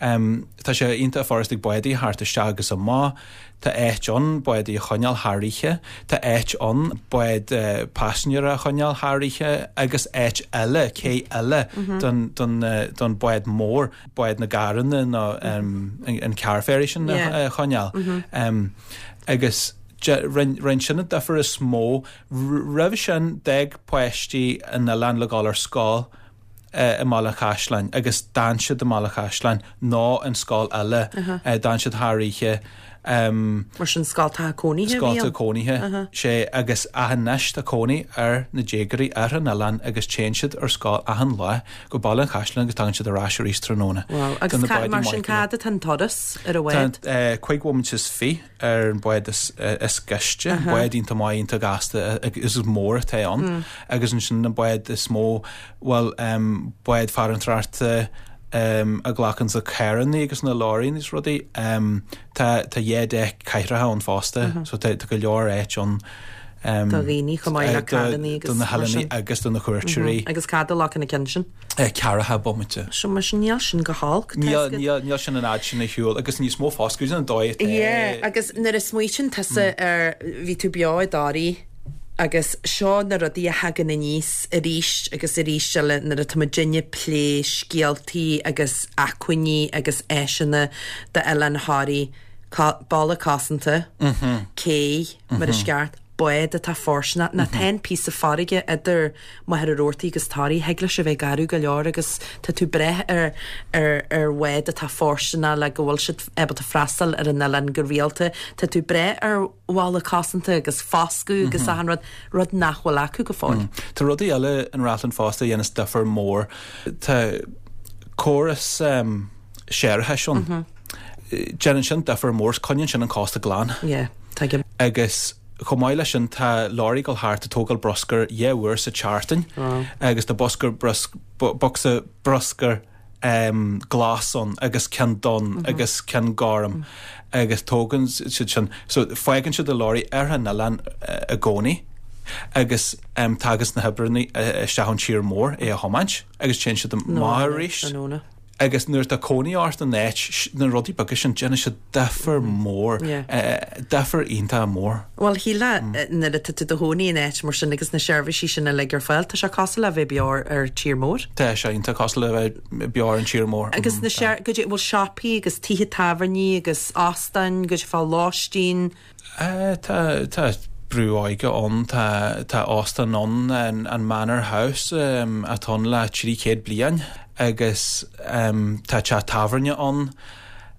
Um, tá sé iontach furast ag báid thart isteach agus amach, Tá áit ann báid a choinneáil thar oíche, Tá áit ann báid uh, paisinéirí a choinneáil thar oíche agus áit eile cé eile don, don, uh, don bád mór, báid na gcarranna nó um, an, an car ferry sin Yeah. a choinneáil. Um, agus rinne sin an difear is mó roimh sin d'fhág páistí an oileán le gabháil ar scoil i mBaile an Chaisleáin agus d'fhan siad i mBaile an Chaisleáin ná an scoil eile d'fhan siad thar oíche um, Mar sin scoltacha cónaithe scolta cónaithe sé agus anois tá cónaí ar na déagóirí ar an oileán agus téann siad ar scoil achan lá go Baile an Chaisleáin agus tagann siad ar ais arís tráthnóna. Well, agus ca, mar sin cad atá an turas ar a bhád? Cúig bhomaite is fiche ar an bád is, is gaiste, bád iontach maith iontach gasta is is mór atá ann agus ansin na báid is mó well um, báid farantóireachta um, a ghlacann sa carranna agus na leoraí is rudaí um, tá tá dhá deic cathracha ann fosta, so tá tá go leor áit ann Do dhaoine chomh maith le carrannaí agus do na mar sin. hoileánaigh agus do na cuairteoirí. Agus cad a ghlacann na cinn sin? Ceathracha bomaite. So mar sin níl sin go holc. Níl níl níl sin an fhad sin ar shiúl agus níos mó fosta an dóigh atá. Yeah, agus nuair a smaoitíonn tusa ar bhí tú beo i dToraigh agus seo na rudaí a thagann aníos arís agus arís eile nuair atá muidinne ag plé scéaltaí agus acmhainní agus áiseanna d'Oileán Thoraí, balla cosanta, cé mar is ceart, bád atá fóirsteanach, ná tá an píosa farraige idir Machaire Rabhartaigh agus Toraigh, thig leis a bheith garbh go leor agus tá tú breith ar ar ar bhád atá fóirsteanach le go bhfuil siad ábalta freastal ar an oileán go rialta, tá tú breith ar bhalla cosanta agus foscadh agus achan rud, rud nach bhfuil acu go fóill. Tá rudaí eile in Rathlin fosta a dhéanas difear mór. Tá córas um, séarachais ann. Déanann sin difear mór, coinníonn sin an cósta glan. Yeah, tuigim. Agus chomh maith leis sin tá lorry ag dul thart ag tógáil bruscar dhá uair sa tseachtain agus tá bosca brus, bocsa bruscar um, glas ann agus ceann donn agus ceann gorm agus tógann siad sin. So fágann siad an lorry ar an oileán uh, i gcónaí agus um, tagas na hoibreanna isteach ón tír mór é a thiomáint agus téann siad amach arís. Tráthnóna. Agus nuair atá cónaí ort in áit, na rudaí beaga sin déanann siad difear mór, Yeah. eh, difear iontach mór. Well, shílfeá nuair atá tú i do chónaí in áit mar sin agus na seirbhísí sin uilig ar fáil, tá sé cosúil le bheith beo ar tír mór. Tá sé iontach cosúil le bheith beo ar an tír mór. Agus na sé go dtí bhfuil siopaí agus tithe tábhairní agus óstáin go dtí fá lóistín. Eh, Tá tá brú óige ann, tá tá óstán ann an, an Manor House um, atá ann le trí chéad bliain agus um, tá teach tábhairne ann.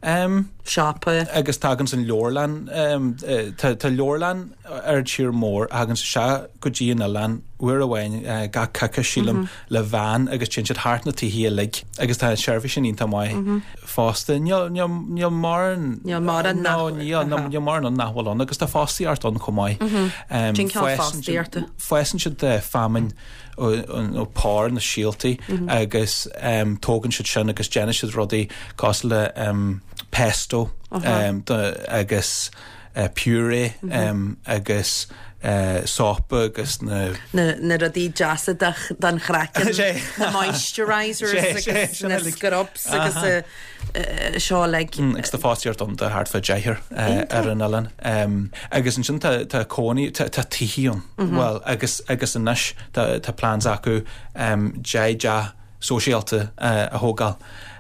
Um, Siopa. agus tagann an leabharlann um, eh, tá tá leabharlann ar tír mór tagann sé go dtí an oileán uair amháin uh, gach coicís sílim le veain agus téann siad thart na tithe uilig agus tá an seirbhís sin iontach maith fosta. Níl níl níl mórán Níl mórán no, nach- níl aha. níl mórán ann nach bhfuil ann agus tá fostaíocht ann chomh maith. Um, Cén cineál fásann siad- fostaíochta? Fásann siad eh, feamainn ó pár na síoltaí agus um, tógann siad sin agus déanann siad rudaí cosúil le um, pesto um, do, agus uh, puree um, agus uh, sópa agus na Na, na rudaí deasa don chraiceann, Sé. na moisturizers Sé, sé, agus sin na uilig. scrubs agus uh, uh, seo like Mm, agus tá fostaíocht ann do thart fá deichniúr uh, ar an oileán. Um, agus ansin tá tá cónaí tá tá tithe ann. Well agus agus anois tá tá plans acu um, deich dteach sóisialta uh, a thógáil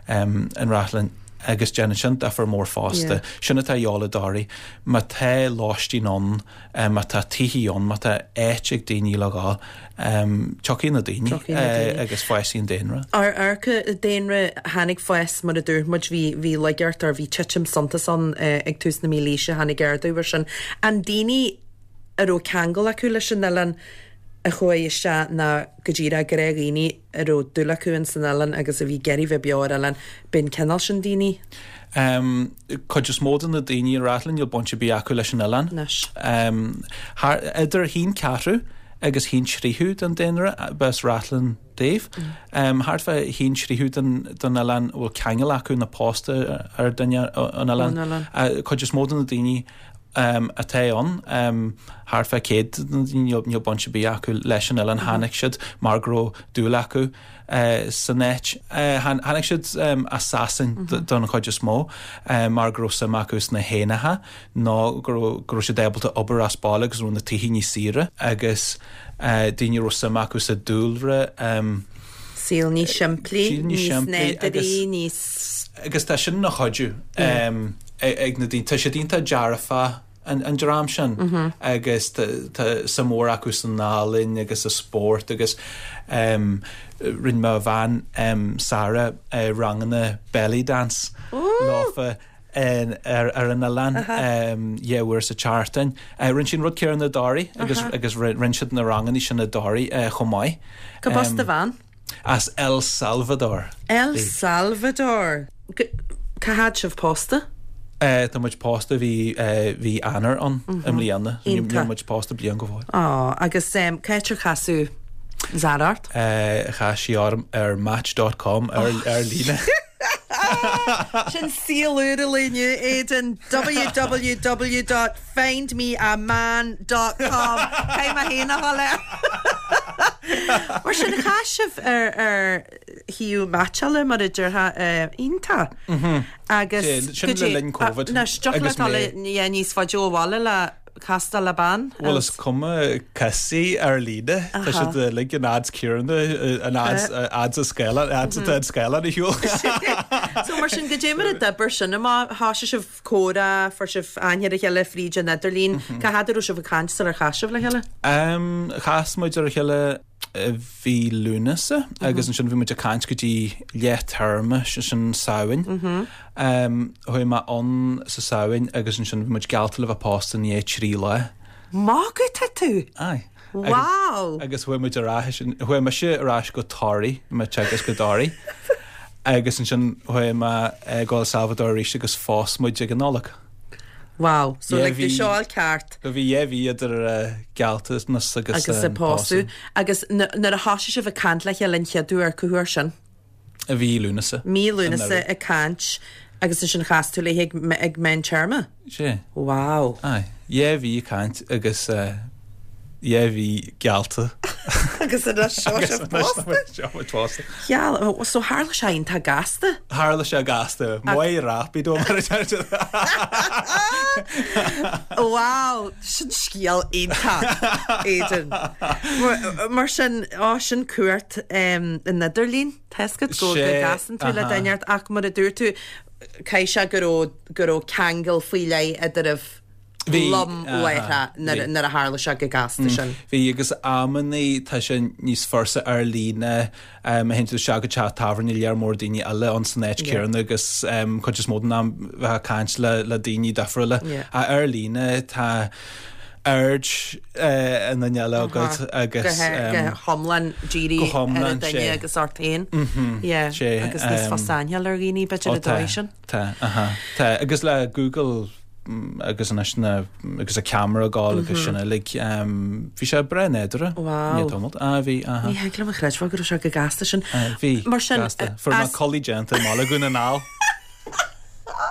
um, in Rathlin agus déanann sin difear mór fosta. Yeah. Sin atá de dhíth i dToraigh, má tá lóistín ann, um, má tá tithe ann, má tá áit ag daoine le gabháil, um, tiocfaidh na daoine Tiocfaidh na eh, daoine. agus fásfaidh an daonra. Ar arca daonra tháinig fás mar a dúirt muid bhí bhí lagart ar bhí titim suntas ann eh, ag tús na mílaoise tháinig ardú ar sin. An daoine a raibh ceangal acu leis an oileán a chuaigh isteach ná go díreach gnáthdhaoine a raibh dúil acu in san oileán agus a bhí ag iarraidh bheith beo ar oileán b'in cineál sin daoine Um, cuid is mó de na daoine i Rathlin níl baint ar bith acu leis an oileán. Anois. Um, thar, idir haon ceathrú agus haon tríú den daonra b'as Rathlin dóibh. Um, thart fá haon tríú den, den oileán bhfuil ceangal acu nó pósta ar duine an oileán. Ón oileán. Uh, cuid is mó de na daoine um, atá ann um, thart fá céad de na daoine níl níl baint ar bith acu leis an oileán tháinig siad mar go raibh dúil acu uh, san áit. Uh, tháinig siad um, as Sasain mm -hmm. don chuid is mó uh, mar go raibh suim acu sna héanacha nó go raibh go raibh siad ábalta obair as baile agus raibh na tithe níos saoire agus uh, daoine raibh suim acu sa dúlra um, Saol níos simplí, Saol níos níos simplí nádúrtha, agus- níos agus tá sin ina chuidiú um, ag ag na daoine tá siad iontach dearfa an, an dream sin mm -hmm. agus tá suim mór acu san ealaín agus sa spórt agus um, rinne mo bhean um, Sarah uh, ranganna belly dance leofa in, ar, ar an oileán um, dhá uair sa tseachtain. Uh, rinne sin rud céanna i dToraigh agus, agus rinne siad na ranganna sin i dToraigh uh, chomh maith. Go bas do bhean? As El Salvador. El Salvador. G- Cá fhad sibh pósta? Uh, tá muid pósta bhí uh, bhí Eanáir ann i mbliana. Iontach. Níl muid pósta bliain go fóill. Á, agus um, cá háit ar casadh Zara ort? Uh, chas sí orm ar match dot com ar, ar líne. Sin saol úr inniu Aidan www dot findmeaman dot com Caithfidh mé féin a dhul air. Mar sin chas sibh ar ar shuíomh meaitseála mar a déarfá iontach. Agus Sin le linn Covid. Anois Agus dul mé- níos faide ó bhaile le castáil le bean. Bhuel is cuma casfaidh ar líne Tá siad uilig an ads céanna an ads ads a scáileán ads atá an scáileán ar shiúl. So mar sin goidé mar a d'oibir sin amach thosaigh sibh comhrá fuair sibh aithne ar a chéile fríd an idirlíon Cá fhad a raibh sibh ag caint sular chas sibh le chéile? Um, chas muid ar a chéile i mhí Lúnasa agus ansin bhí muid ag caint go dtí leath téarma sin sin Samhain. Um, chuaigh mé ann sa Samhain agus ansin bhí muid geallta le bheith pósta i ndiaidh trí lá. Magadh atá tú! Aye. Wow! Agus chuaigh muid ar ais chuaigh mise ar ais go Toraigh mé teagasc go Toraigh. Agus ansin chuaigh mé go El Salvador arís agus phós muid ag an Nollaig. Wow, so Yeah, like bhí bhí- seo all ceart Go bhí dhá mhí idir uh, gealltanas agus agus um, a pósadh. Agus nuair a thosaigh sibh ag caint le chéile an chéad uair cá huair sin. I mhí Lúnasa. Mí Lúnasa Anuraidh. ag caint agus ansin chas tú léi ag, ag meán téarma. Sé. Wow. Aye. Dhá mhí ag caint agus uh, dhá mhí geallta. Agus anois seo Agus sibh anois pósta. seo muid pósta. Geall, so tharla sé iontach gasta. Tharla sé gasta, muy rápido mar a deir Wow, sin scéal iontach Aidan. Mar, mar sin á sin cuairt um, an idirlíon Tá a fhios agat go go Sé, gcasann tú le aha. duine ach mar a dúirt tú caithfidh sé go raibh go raibh ceangal faoi leith idir Bhí, lom aha, láithreach nuair bhí. nuair a tharla sé go gasta sin. Bhí agus amannaí tá sé níos fursa ar líne um, théann tú isteach go teach tábhairne lear mór daoine eile ann san áit Yeah. céanna agus um, cuid is mó den am bheith ag caint le, le daoine difriúla. Yeah. A ar líne tá aird uh, an duine eile agat agus go go um, hiomlán dírithe go hiomlán, ar an duine sé. agus ort féin. Yeah, sé, agus níos um, fusa aithne a fháil ar dhaoine b'fhéidir Ó, a dóigh sin. Tá, aha, tá, agus le Google mm, agus anois na agus a camera gáil agus sin uilig um, bhí sé breá nádúrtha. Wow. Ní tamalt. Ah, bhí, aha. Ní thig liom a chreidbheáil go raibh sé go gasta sin. Ah, bhí. Mar sin, gasta. eh, Fuair mé as- culaith déanta i mBaile Dhún na nGall.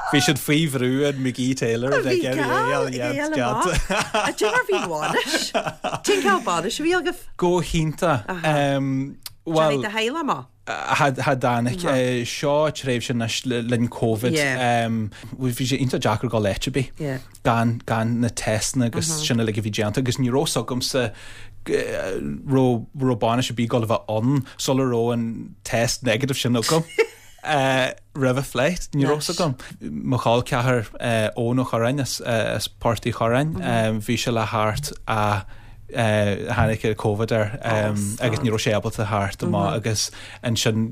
Bhí siad faoi bhrú an McGee Taylor Bhí gal A dé mar bhí bhainis? Cén cineál bainis a bhí agaibh? Go hiontach. Um, well, de heile má. Cha dtáinig seo tréimhse anois le linn Covid. Yeah. Um, bhí sé iontach deacair go áit ar bith. Yeah. gan gan na testanna agus sin uilig a bhí déanta agus ní raibh agamsa raibh raibh bainis ar bith ag gabháil a bheith ann sula raibh an test negative sin agam. Uh, roimh flight ní raibh agam. Mo chol ceathar uh, Eoin Ó Curráin as, uh, as Port Uí Churráin, um, bhí sé le theacht a uh, tháinig Covid air um, Oh, agus ní raibh sé ábalta theacht amach agus ansin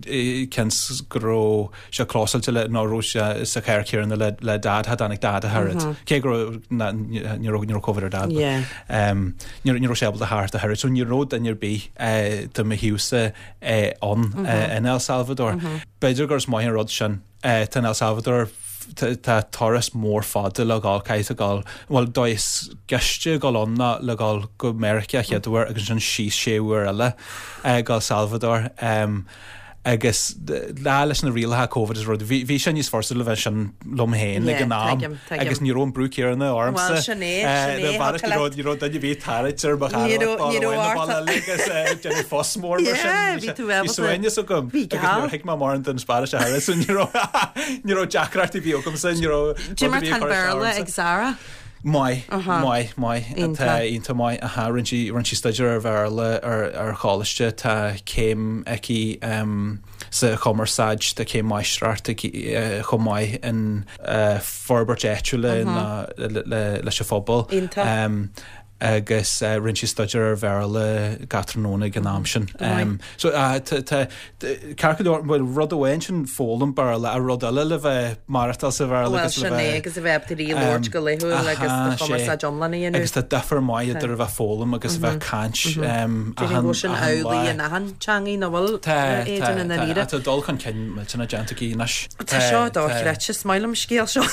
cén go raibh sé clósáilte le ná raibh sé sa charr céanna le le dad cha dtáinig dad a thuras. Cé go raibh na- ní raibh ní raibh Covid ar dad. but, Yeah. Um, ní ní raibh sé ábalta theacht a thuras, so ní raibh duine ar bith uh, de mo thaobhsa uh, ann uh, in El Salvador. B'fhéidir gur is maith an rud sin uh, tá in El Salvador tá tá turas mór fada le gabháil caithfidh tú gabháil well dóigh is gaiste gabháil ann ná le gabháil go Meiriceá chéad uair agus ansin síos sé uair eile uh, go El Salvador um, agus lá leis na rialacha Covid is rud bhí bhí sé níos fursa le bheith sin liom féin ag Yeah, an am tuigim, tuigim. agus ní raibh an brú céanna ormsa. Well, sin é, sin é, Eh, thug ní raibh duine ar bith tarraingt ar mo Ní raibh- ní raibh ort- agus déanamh fuss mór mar sin. Yeah, bhí tú Bhí ábalta- suaimhneas agam Bhí agus geal. níor thuig mé mórán den Spáinnis a thuras, so ní raibh ní raibh deacrachtaí ar bith agamsa ní raibh Dé mar rud a bhí tá ag cur isteach Béarla ormsa. ag Zara? Maith, maith, maith Iontach. Tá iontach maith aha rinne sí rinne sí staidéar ar Bhéarla ar ar choláiste tá céim aici um, sa chumarsáid tá céim máistreacht aici uh, chomh maith in uh, forbairt áitiúla ná le, le, leis an phobal. Iontach. Um, agus uh, rinne sí staidéar ar Bhéarla gach tráthnóna ag an am sin. Um, so uh, ceart go leor well, rud amháin sin foghlaim Béarla a rud eile le bheith maireachtáil sa Bhéarla Well, agus le sin é bheith agus a bheith ag labhairt go laethúil agus aha, do chumarsáid iomlán a dhéanamh. Agus tá difear maith idir a bheith foghlaim agus a bheith caint um, Déarfainn go bhfuil sin achan amhlaidh lá. in achan teangaidh nach bhfuil Tá, Aidan in tá, dáiríre. tá dul chun cinn millteanach déanta aici anois. Tá seo dochreidte, is maith liom an scéal seo.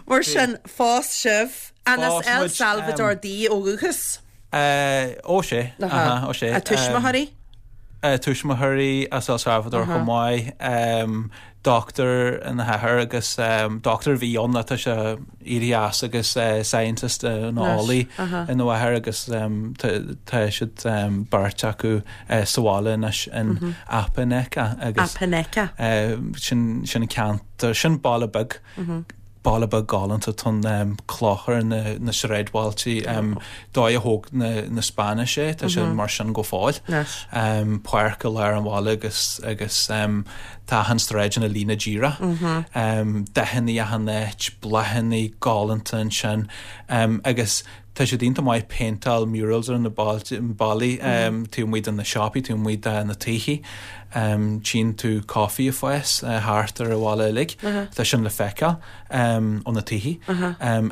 Mar sin phós sibh an as Phós El muid, Salvador um, di ó dhúchas. Uh, ó sé, aha, ó sé. A tuismitheoirí? Tuismitheoirí as El Salvador chomh maith, dochtúir ina hathair agus dochtúir a bhí ann tá sé éirithe as agus scientist nó eolaí ina mháthair agus tá siad beirt acu sa bhaile anois in Apaneca agus Apaneca. Sin sin an ceantar, sin baile beag. Baile beag galánta tá an cloch ar na na sráidbhailte dóigh a thóg na na Spáinnis é, tá sé mar sin go fóill. Páirc i lár an bhaile agus agus tá achan sráid ina líne díreach. Dathanna achan áit, bláthanna galánta ansin agus tá siad iontach maith péinteáil murals ar na ballaí taobh amuigh de na siopaí, taobh amuigh de na tithe. Tchíonn tú caife ag fás thart ar an bhaile uilig. Tá sin le feiceáil ó na tithe.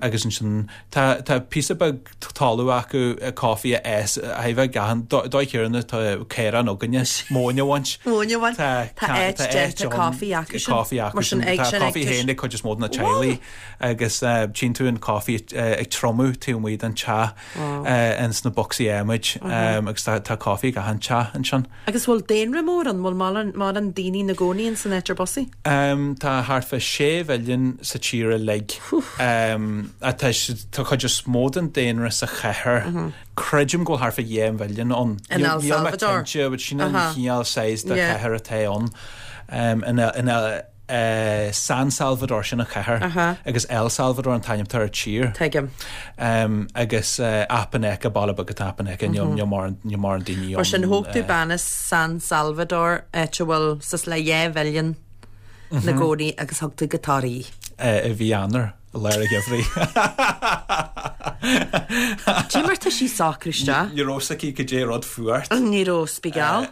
Agus ansin tá tá píosa beag talamh acu caife a fhás a bheith achan dóigh chéanna tá caorán againne móin a bhaint. Móin a bhaint. Tá áit déanta caife acu sin. Caife acu sin. Tá caife féin ag cuid is mó de na teaghlaigh agus tchíonn tú an caife ag triomú taobh amuigh den teach ins na bocsaí adhmaid agus tá caife ag achan teach ansin. Agus bhfuil daonra mór ann? Bhfuil mórán daoine ina gcónaí ins an áit ar bus í? Tá thart fá sé mhilliún sa tír uilig. Tá tá cuid is mó den daonra sa chathair. Creidim go bhfuil thart fá dhá mhilliún ann. In El Níl mé Salvador? cinnte, but sin an chineál size de chathair atá ann. In San Salvador, sin an chathair, agus El Salvador an t-ainm atá ar an tír. Tuigim. Agus Apaneca, baile beag atá Apaneca, níl mórán daoine ann. Mar sin, thóg tú bean as San Salvador, áit a bhfuil suas le dhá mhilliún ina gcónaí agus thug tú go Toraigh í. I mhí Eanáir, i lár an gheimhridh. Cé mar tá sí socrú isteach? Ní raibh 'fhios aici cad é rud fuacht. Ní raibh spigeall.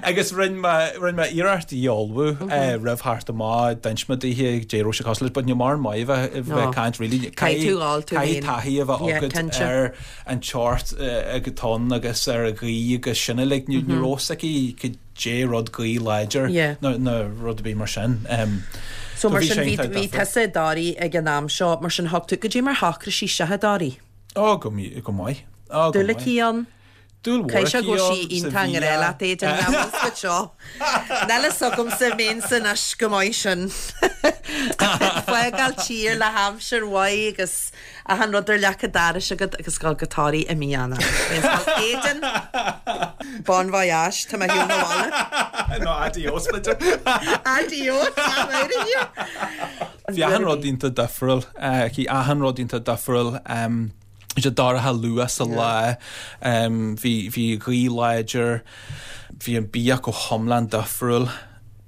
Agus rinne mé rinne mé iarracht í a ullmhú roimh theacht amach, d'inis mé daoithe cad é raibh sé cosúil leis, but níl mórán maith a bheith a bheith caint really. Caithfidh tú dhul tú Caithfidh féin. taithí a bheith Yeah, agat cinnte. ar an tseort atá ann agus ar an ghaoth agus sin uilig. Ní ní raibh 'fhios aici cad é rud gaoth láidir Yeah. nó nó rud ar bith mar sin. So mar bhí sin sé bhí iontach bhí difriúil. tusa i dToraigh ag an am seo, mar sin thug tú cad é mar shocraigh sí isteach i dToraigh? Ó go mi- go maith. Ó go Dúil maith. aici ann? Dúil mhór Caithfidh sé aici go bhfuil ann sí sa iontach i ngrá bhia. leat Aidan, nach bhfuil fhios agat seo. Níl fhios agamsa mé anois go maith sin. Fágáil tír le haimsir mhaith agus achan rud ar leac an dorais agat agus dul go Toraigh i mí Eanáir. Aidan, bon voyage, tá mé ar shiúl na bhaile. No, adios, b'fhéidir. Adios, I'm out of here. Bhí achan rud iontach difriúil, bhí achan rud iontach difriúil. Bhí sé dorcha luath sa lá, bhí bhí gaoth láidir, bhí an bia go hiomlán difriúil.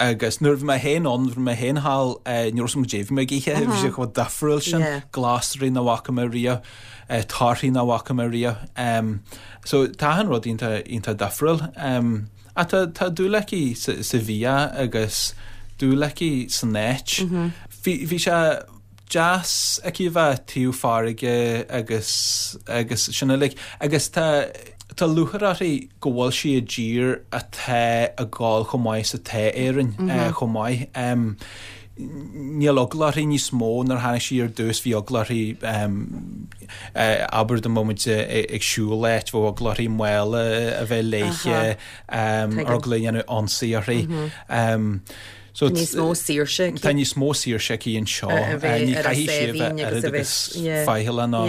Agus nuair a bhí mé féin ann, bhí mé féin thall, ní raibh 'fhios agam cad é bhí mé ag ithe, bhí sé chomh difriúil sin, glasraí nach bhfaca mé riamh, torthaí nach bhfaca mé riamh. So tá achan rud iontach iontach difriúil. Ach tá tá dúil aici sa sa bhia agus dúil aici san áit. Bhí bhí sé deas aici a bheith taobh farraige agus agus sin uilig. Agus tá tá lúcháir uirthi go bhfuil sí i dtír atá ag gabháil chomh maith is atá Éirinn chomh maith. Níl eagla uirthi níos mó nuair a tháinig sí ar dtús, bhí eagla uirthi abair dá mbeadh muid ag siúl áit, bheadh eagla uirthi mála a bheith léithe, eagla a dhéanamh ionsaí uirthi. So Tá níos mó saoirse aici. Tá níos mó saoirse aici anseo. Ní chaithfidh sí a bheith oiread agus faichilleach ná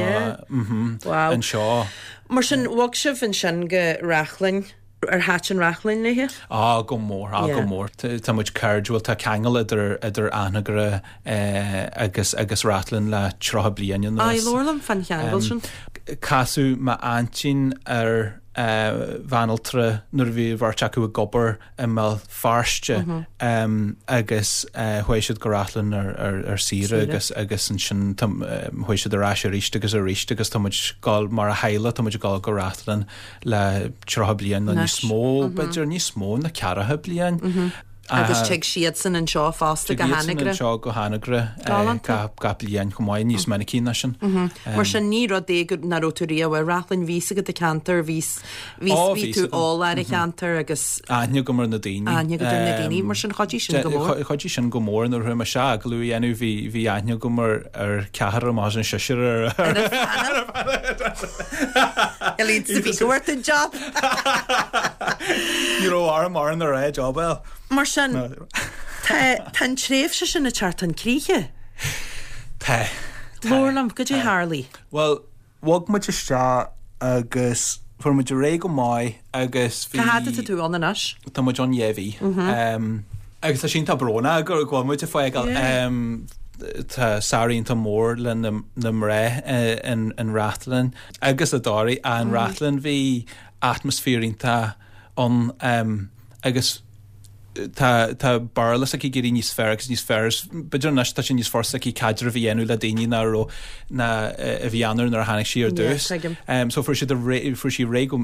anseo. Mar sin, bhog sibh ansin go Reachlainn. Ar thaitin Reachlainn léi? Á, go mór, á, go mór. Tá muid cairdiúil, tá ceangal idir idir Anagaire agus agus Reachlainn le tríocha bliain anuas. Á, labhair liom fán cheangal sin. Casadh m'aintín ar bhanaltra nuair a bhí an bheirt acu ag obair i mBéal Feirste agus chuaigh siad go Reachlainn ar saoire agus agus ansin chuaigh siad ar ais arís agus arís agus tá muid ag gabháil mar a theaghlach, tá muid ag gabháil go Reachlainn le tríocha bliain nó níos mó, b'fhéidir níos mó ná ceathracha bliain. Agus tig siadsan anseo fosta go Anagaire. hAnagaire. Anseo go hAnagaire Galánta. gach bliain chomh maith níos minicí ná sin. Mar sin ní rud é go nach raibh tú riamh i Rathlin bhí a fhios agat an ceantar bhí bhí Ó, bhí bhí tú agam. eolach ar an cheantar agus Aithne agam ar na daoine. Aithne agat ar na daoine, mar sin chuidigh sin go mór. Chuidigh sin go mór nuair a chuaigh mé isteach agallamh a dhéanamh bhí bhí aithne agam ar ar ceathrar amach an seisear ar Elite sa bhí go an job. Ní raibh orm ar an ré job eil. Mar sin tá tá an tréimhse sin ag teacht chun críche. Tá. Labhair liom goidé tharla. Well, bhog muid isteach agus fuair muid réidh go maith agus bhí Cá fhad atá tú ann anois? Tá muid ann dhá mhí. Um, agus tá sin tá brónach go go bhfuil muid ag fágáil. Yeah. Um, tá samhradh iontach mór le na, na mná uh, in, in Rathlin agus i dToraigh an mm. Rathlin bhí atmaisféar iontach ann um, agus tá tá Béarla s'aici ag éirí níos fearr agus níos fearr b'fhéidir anois tá sé níos furasta aici caidreamh a dhéanamh le daoine ná raibh ná eh, a bhí ann nuair a tháinig sí ar Yeah, dtús. tuigim. Um, so fuair siad a ré- fuair sí réidh go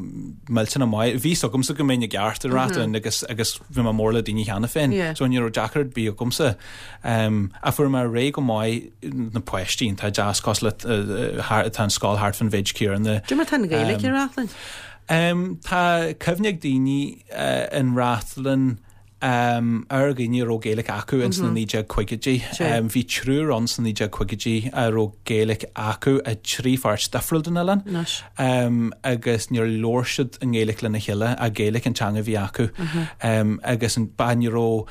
millteanach maith. Bhí agamsa go mbeinn i gceart i Rathlin agus agus bhí mé mór le daoine cheana féin. Yeah. So ní raibh deacracht ar bith agamsa. Um, a fuair mé réidh go maith na páistí tá deas cos le uh, tá an scoil thart fán mhéid céanna. Cad é mar tá an Ghaeilge i Rathlin? Um, tá cuimhne ag daoine uh, in Rathlin um, ar dhaoine a raibh Gaeilge acu ins na naoi déag caogaidí. Sure. Um, bhí triúr ann sna naoi déag caogaidí a raibh Gaeilge acu i trí pháirt difriúil den oileán. Anois. Um, agus níor labhair siad an Ghaeilge lena chéile a Gaeilge an teanga a bhí acu. Um, agus an ba ní raibh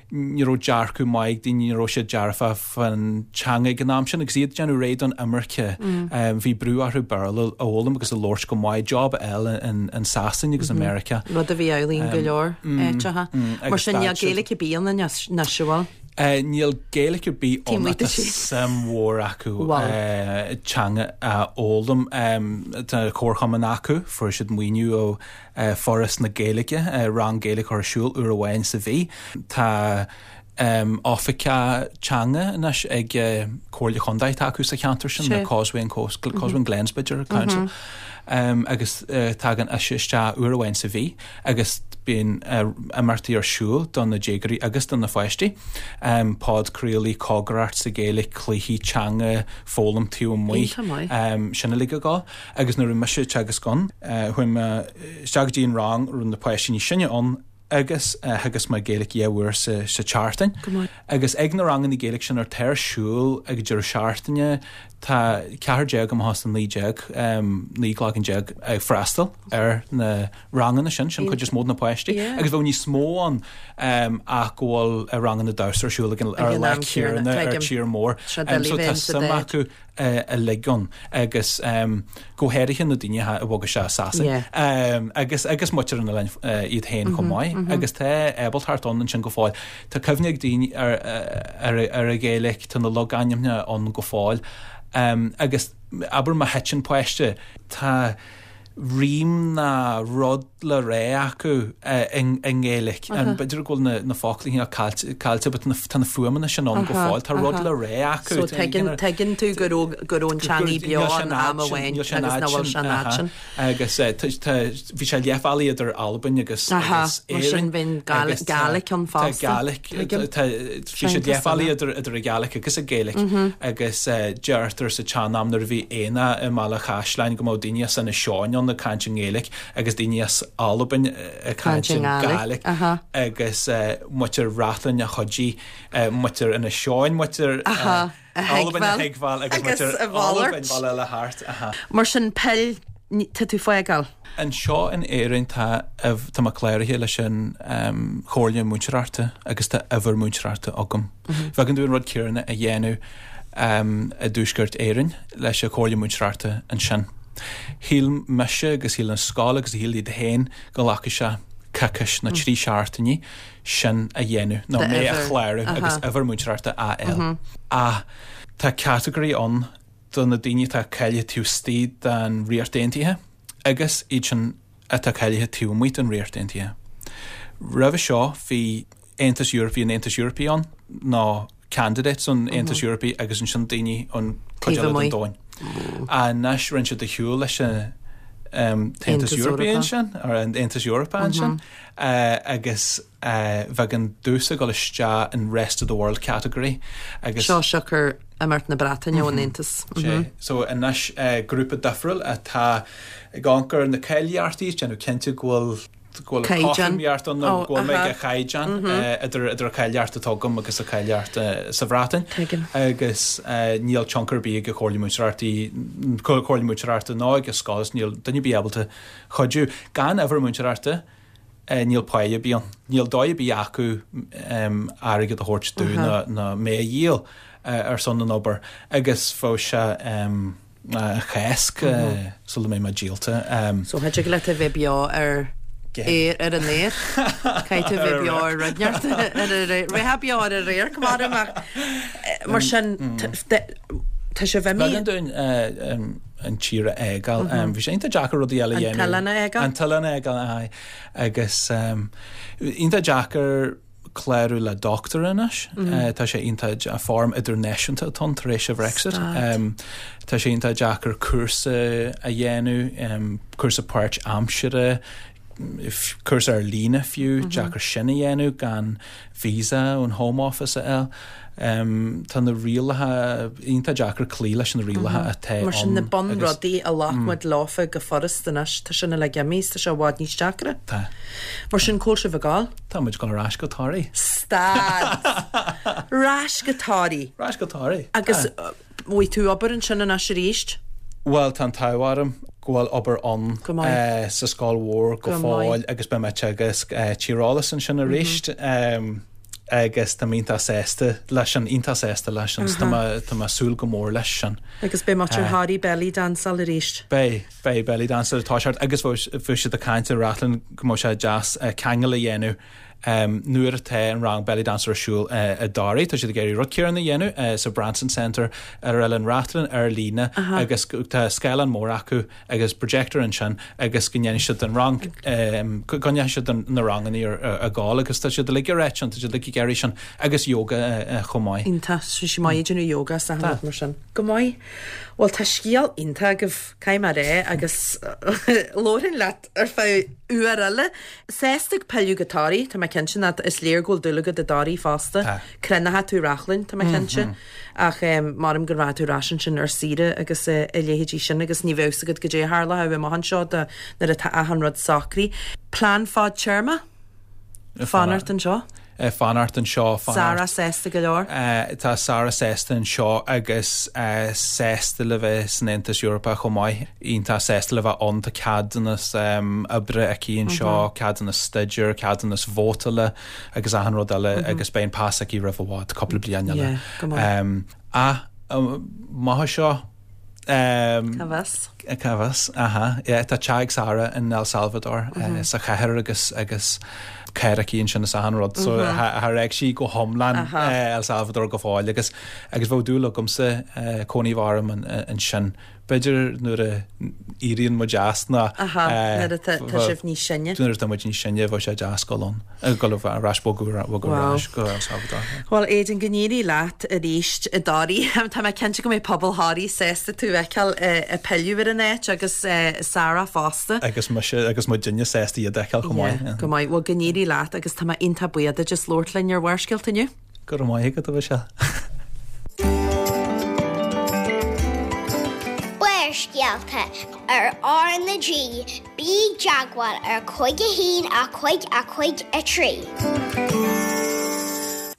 ní raibh dearcadh maith ag daoine ní raibh siad dearfa fan teanga ag an am sin agus iad déanamh réidh don imirce. Um, bhí brú orthu Béarla a fhoghlaim agus a labhairt go maith job eile in, in Sasain agus America. Rud a bhí amhlaidh go leor áiteacha. mm, Mar agus sin níl stad siad- Gaeilge ar bith ann anois bhfuil. Uh, níl Gaeilge ar bith Taobh ann amuigh de tá sin. suim mhór acu Wow. uh, teanga a fhoghlaim um, tá comharchumann acu fuair siad maoiniú ó uh, Foras na Gaeilge uh, rang Gaeilge ar siúl uair amháin sa mhí. Tá um, oifigeach teanga anois ag uh, Comhairle Contae acu sa cheantar sin Sé. na Causeway and Coast Causeway and Glens b'fhéidir Council. Um, agus uh, tagann ise isteach uair amháin sa mhí agus bíonn uh, imeachtaí ar siúl don na déagóirí agus don na pháistí. Um, podchraoltaí cócaireacht sa Ghaeilge cluichí teanga foghlaim taobh amuigh. Iontach maith. Um, sin uilig ag gabháil agus nuair a bhí mise teagasc ann uh, chuaigh mé isteach go dtí an rang raibh na páistí níos sine ann agus uh, theagasc mé Gaeilge dhá uair sa, sa tseachtain. Go maith. Agus ag na ranganna Gaeilge sin ar tar siúl ag deireadh seachtaine tá ceathair déag amach as an naoi déag um, naoi gcloigeann déag ag freastal ar na ranganna sin sin chuid is mó na páistí Yeah. agus bheadh níos mó ann um, ach go bhfuil a ranganna damhsa ar siúl ag an- ar Ag an lá am céanna, céanna ar tuigim. tír mór. Seo Um, so doiligh tá bheith sa suim dead. acu uh, uilig ann agus um, go háirithe na daoine a bhog isteach Sasain. Yeah. Um, agus agus muintir an oileáin uh, iad féin chomh maith agus tá ábaltacht ann sin go fóill. Tá cuimhne ag daoine ar, ar, ar a Ghaeilge tá na logainmneacha ann go fóill. Um, agus abair má thiteann páiste tá rím na rud le rá acu uh, in in nGaeilge. Um, B'fhéidir go bhfuil na, na foclaí caillte caillte, but na, tá na fuaimeanna sin ann go fóill, Tá rud le rá acu. So tuigeann tuigeann tú go raibh go raibh an teanga beo an am amháin agus nach bhfuil sé an fhad sin. agus eh, tá- tá- bhí sé leath bealaigh idir Albain agus Aha, agus mar sin Éirinn, bhíonn Gael- agus tá- Gaelic ann tá fosta. Gaelic Tuigim. tá- bhí sé Sin leath bealaigh cosúil. idir idir a Gaelic agus a Gaelic agus eh, deirtear sa tsean-am nuair a bhí aonach i mBaile Chaisleáin go mbeadh daoine as Inis Seáin ann ag caint an Gaelic agus daoine as Albain eh, ag caint Caint an an Gaelic Gaelic, aha. agus eh, muintir Rathlin a chuidigh eh, muintir Inis Seáin muintir Aha, a Albain a thuigbheáil thuigbheáil agus agus muintir a mhalairt. Albain baile le thart aha. Mar sin peil ní- tá tú fágáil. Anseo in Éirinn tá tá mé cláraithe leis an um, Chomhairle Múinteoireachta agus tá uimhir múinteoireachta agam. Bheadh tú an rud céanna a dhéanamh um, i dTuaisceart Éireann leis an Chomhairle Múinteoireachta ansin. Shíl mise agus shíl an scoil agus shíl iad féin go nglacfadh sé coicís nó trí seachtainí sin a dhéanamh nó mé a uimhir. chlárú agus uimhir múinteoireachta a fháil. A tá category ann do na daoine atá cáilithe taobh istigh den Ríocht Aontaithe agus iad sin atá cáilithe taobh amuigh den Ríocht Aontaithe. Roimhe seo bhí Aontas Eorpach an Aontas Eorpach ann ná candidates an Aontas Eorpach agus ansin daoine an Taobh cuid eile den amuigh. domhan. Anois rinne siad de shiúl leis an tAontas Eorpach ansin, ar an Aontas Eorpach ansin, agus bheadh an damhsa ag dul isteach in rest of the world category agus. Seo siocair imeacht na Breataine ón Aontas. Sé. So anois grúpa difriúil atá ag amharc ar na cáilíochtaí, déanamh cinnte go bhfuil go bhfuil cothromaíocht ann nó go bhfuil mé ag caighdeán idir idir an cháilíocht atá agam agus an cháilíocht sa Bhreatain. Agus níl tionchar ar bith ag an Chomhairle Múinteoireachta, Comhairle Múinteoireachta ná ag an scoil is níl duine ar bith ábalta cuidiú. Gan uimhir múinteoireachta níl pá ar bith ann. Níl dóigh ar bith acu airgead a thabhairt domh ná mé a dhíol ar son an obair agus bheadh sé an Cháisc sula mbeidh mé díolta. So cha dtig leat a bheith beo ar aer ar an aer. Caithfidh tú a bheith beo ar rud inteacht ar an aer. Bheifeá beo ar an aer, comhairle ach mar sin tá sibh imithe. B'éigean dúinn an tír a fhágáil. Bhí sé iontach deacair rudaí eile a dhéanamh. An t-oileán a fhágáil? An t-oileán a fhágáil, aye. Agus iontach deacair clárú le dochtúir anois. Tá sé iontach foirm idirnáisiúnta atá ann tar éis an Bhrexit. Tá sé iontach deacair cúrsa a dhéanamh, cúrsa páirtaimseartha, cúrsa ar líne fiú, deacair sin a dhéanamh gan visa ón Home Office a fháil. Tá na rialacha iontach deacair cloí leis na rialacha atá ann. Mar sin na bunrudaí a ghlac muid leofa go furasta anois, tá sin uilig imithe is tá sé i bhfad níos deacra. Tá. Mar sin, cá bhfuil sibh ag gabháil? Tá muid ag gabháil ar ais go Toraigh. Stad! Ar ais go Toraigh? Ar ais go Toraigh. Agus bhfaighidh tú obair ansin anois arís? Bhuel, tá an t-ádh orm go bhfuil obair ann sa scoil mhór go fóill agus beidh mé ag teagasc tíreolas ansin arís agus tá mé iontach sásta leis sin, iontach sásta leis sin, tá mé, tá mé ag súil go mór leis sin. Agus beidh muid ar Thoraigh belly danceáil arís. Beidh, beidh belly danceáil ag toiseacht agus bhí siad ag caint i Rathlin go mbeadh sé deas ceangal a dhéanamh Nuair atá an rang belly dance ar siúl i dToraigh, tá siad ag iarraidh rud céanna a dhéanamh sa Branson Centre ar Oileán Rathlin ar líne agus tá scáileán mór acu agus projector ansin agus go ndéanfaidh siad an rang, go ndéanfaidh siad na ranganna ar gcul agus tá siad uilig ag ráit sin, tá siad uilig ag iarraidh sin agus yoga chomh maith. Iontach, tá sé maith ag déanamh yoga is achan rud mar sin. Go maith. Bhuel tá scéal iontach agaibh, caithfidh mé a rá, agus labharfainn leat ar feadh uair eile. Sásta ag pilleadh go Toraigh, tá mé cinnte nach, is léir go bhfuil dúil agat i dToraigh fosta. Tá. Cruinneoidh tú Reachlainn, tá mé cinnte. Ach maram go rachaidh tú ar ais ansin ar saoire agus a leithéidí sin agus ní bheadh fhios agat goidé a tharlódh amach anseo do nuair atá achan rud socraithe. Plean fadtéarma? Fanacht anseo? Fanacht anseo, fanacht. Sarah sásta go leor? Tá Sarah sásta anseo agus sásta le bheith san Aontas Eorpach chomh maith. Iontach sásta le bheith ann, tá ceadúnas oibre aici anseo, ceadúnas staidéir, ceadúnas vótála agus achan rud eile agus beidh an pas aici roimh i bhfad, cúpla bliain eile. Ach amach anseo, Cá bhfios? Cá bhfios, aha. Yeah, tá teach ag Sarah in El Salvador, sa chathair agus agus carr aici ansin is achan rud. So char fhág sí go hiomlán El Salvador go fóill agus agus bheadh dúil agamsa cónaí a bheith orm ansin. B'fhéidir nuair a éiríonn muid as ná Aha, nuair atá tá sibh níos sine. Nuair atá muid níos sine bheadh sé deas dul ann, dul ar ais bogadh bogadh ar ais go El Salvador. Bhuel Aidan, go n-éirí leat arís i dToraigh. Tá mé cinnte go mbeidh pobal Thoraí sásta tú a fheiceáil ag pilleadh ar an áit agus Sarah fosta. Agus mise agus muidinne sásta iad a fheiceáil chomh maith. Yeah, go maith. Bhuel go n-éirí leat agus tá mé iontach buíoch duit as labhairt linn ar Bharrscéalta inniu. Go raibh maith agat, a Mhichelle. Barrscéalta ar R na G, bí i dteagmháil ar cúig a haon a cúig a cúig a trí.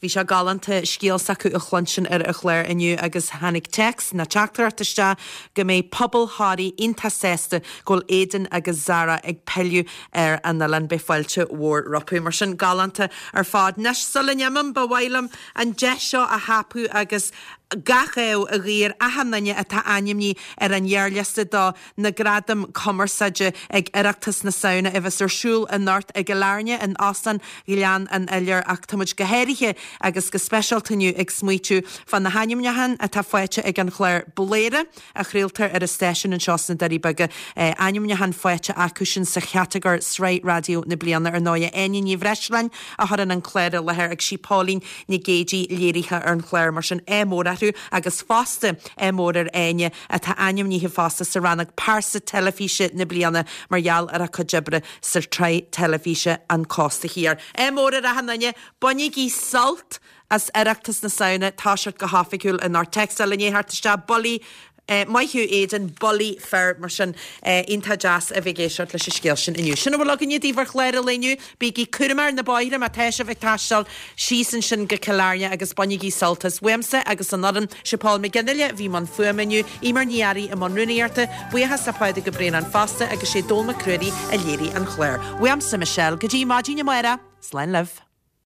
Bhí sé galánta scéal s'acu a chluinstin ar an chlár inniu agus tháinig téacs nó teachtaireacht isteach go mbeidh pobal Thoraí iontach sásta go bhfuil Aidan agus Zara ag pilleadh ar an oileán. Beidh fáilte mhór rompu. Mar sin, galánta ar fad. Anois, sula n-imím, ba mhaith liom an deis seo a thapú agus gach ádh a ghuí ar achan duine atá ainmnithe ar an ghearrliosta do na Gradaim Cumarsáide ag Oireachtas na Samhna a bheas ar siúl anocht i gCill Airne in Óstán Ghleann an Iolair ach tá muid go háirithe agus go speisialta inniu ag smaoitiú fá na hainmniúcháin atá faighte ag an chlár Bladhaire a chraoltar ar an stáisiún anseo sna Doirí Beaga. Ainmniúchán faighte acusin sa chatagóir Sraith Raidió na Bliana ar ndóigh. Áine Ní Bhreisleáin a chuireann an clár i láthair agus sí Póilín Nic Géidigh léiritheoir ar an chlár mar sin ádh mór orthu. orthu agus fosta ádh mór ar Áine atá ainmnithe fosta sa rannóg Pearsa Teilifíse na Bliana mar gheall ar a cuid oibre sa tsraith teilifíse An Cósta Thiar. Ádh mór ar achan duine, bainigí sult as Oireachtas na Samhna, toiseacht go hoifigiúil anocht. Téacs eile i ndiaidh theacht isteach, Bullaí Maith thú Aidan, bullaí fir mar sin iontach deas a bheith ag éisteacht leis an scéal sin inniu. Sin a bhfuil againne daoibh ar chlár an lae inniu. Bígí cúramach ar na bóithre má tá sibh ag taisteal síos ansin go Cill Airne agus bainigí sult as. Uaimse agus an fhoireann, sé Paul McGinley a bhí i mbun fuaime inniu, Eimear Ní Fhearraigh i mbun rúnaíochta, buíochas le Pádraig Ó Braonáin fosta agus sé Dól Mac Ruairí a léirigh an clár. Uaimse Michelle, go dtí maidin amárach, slán libh.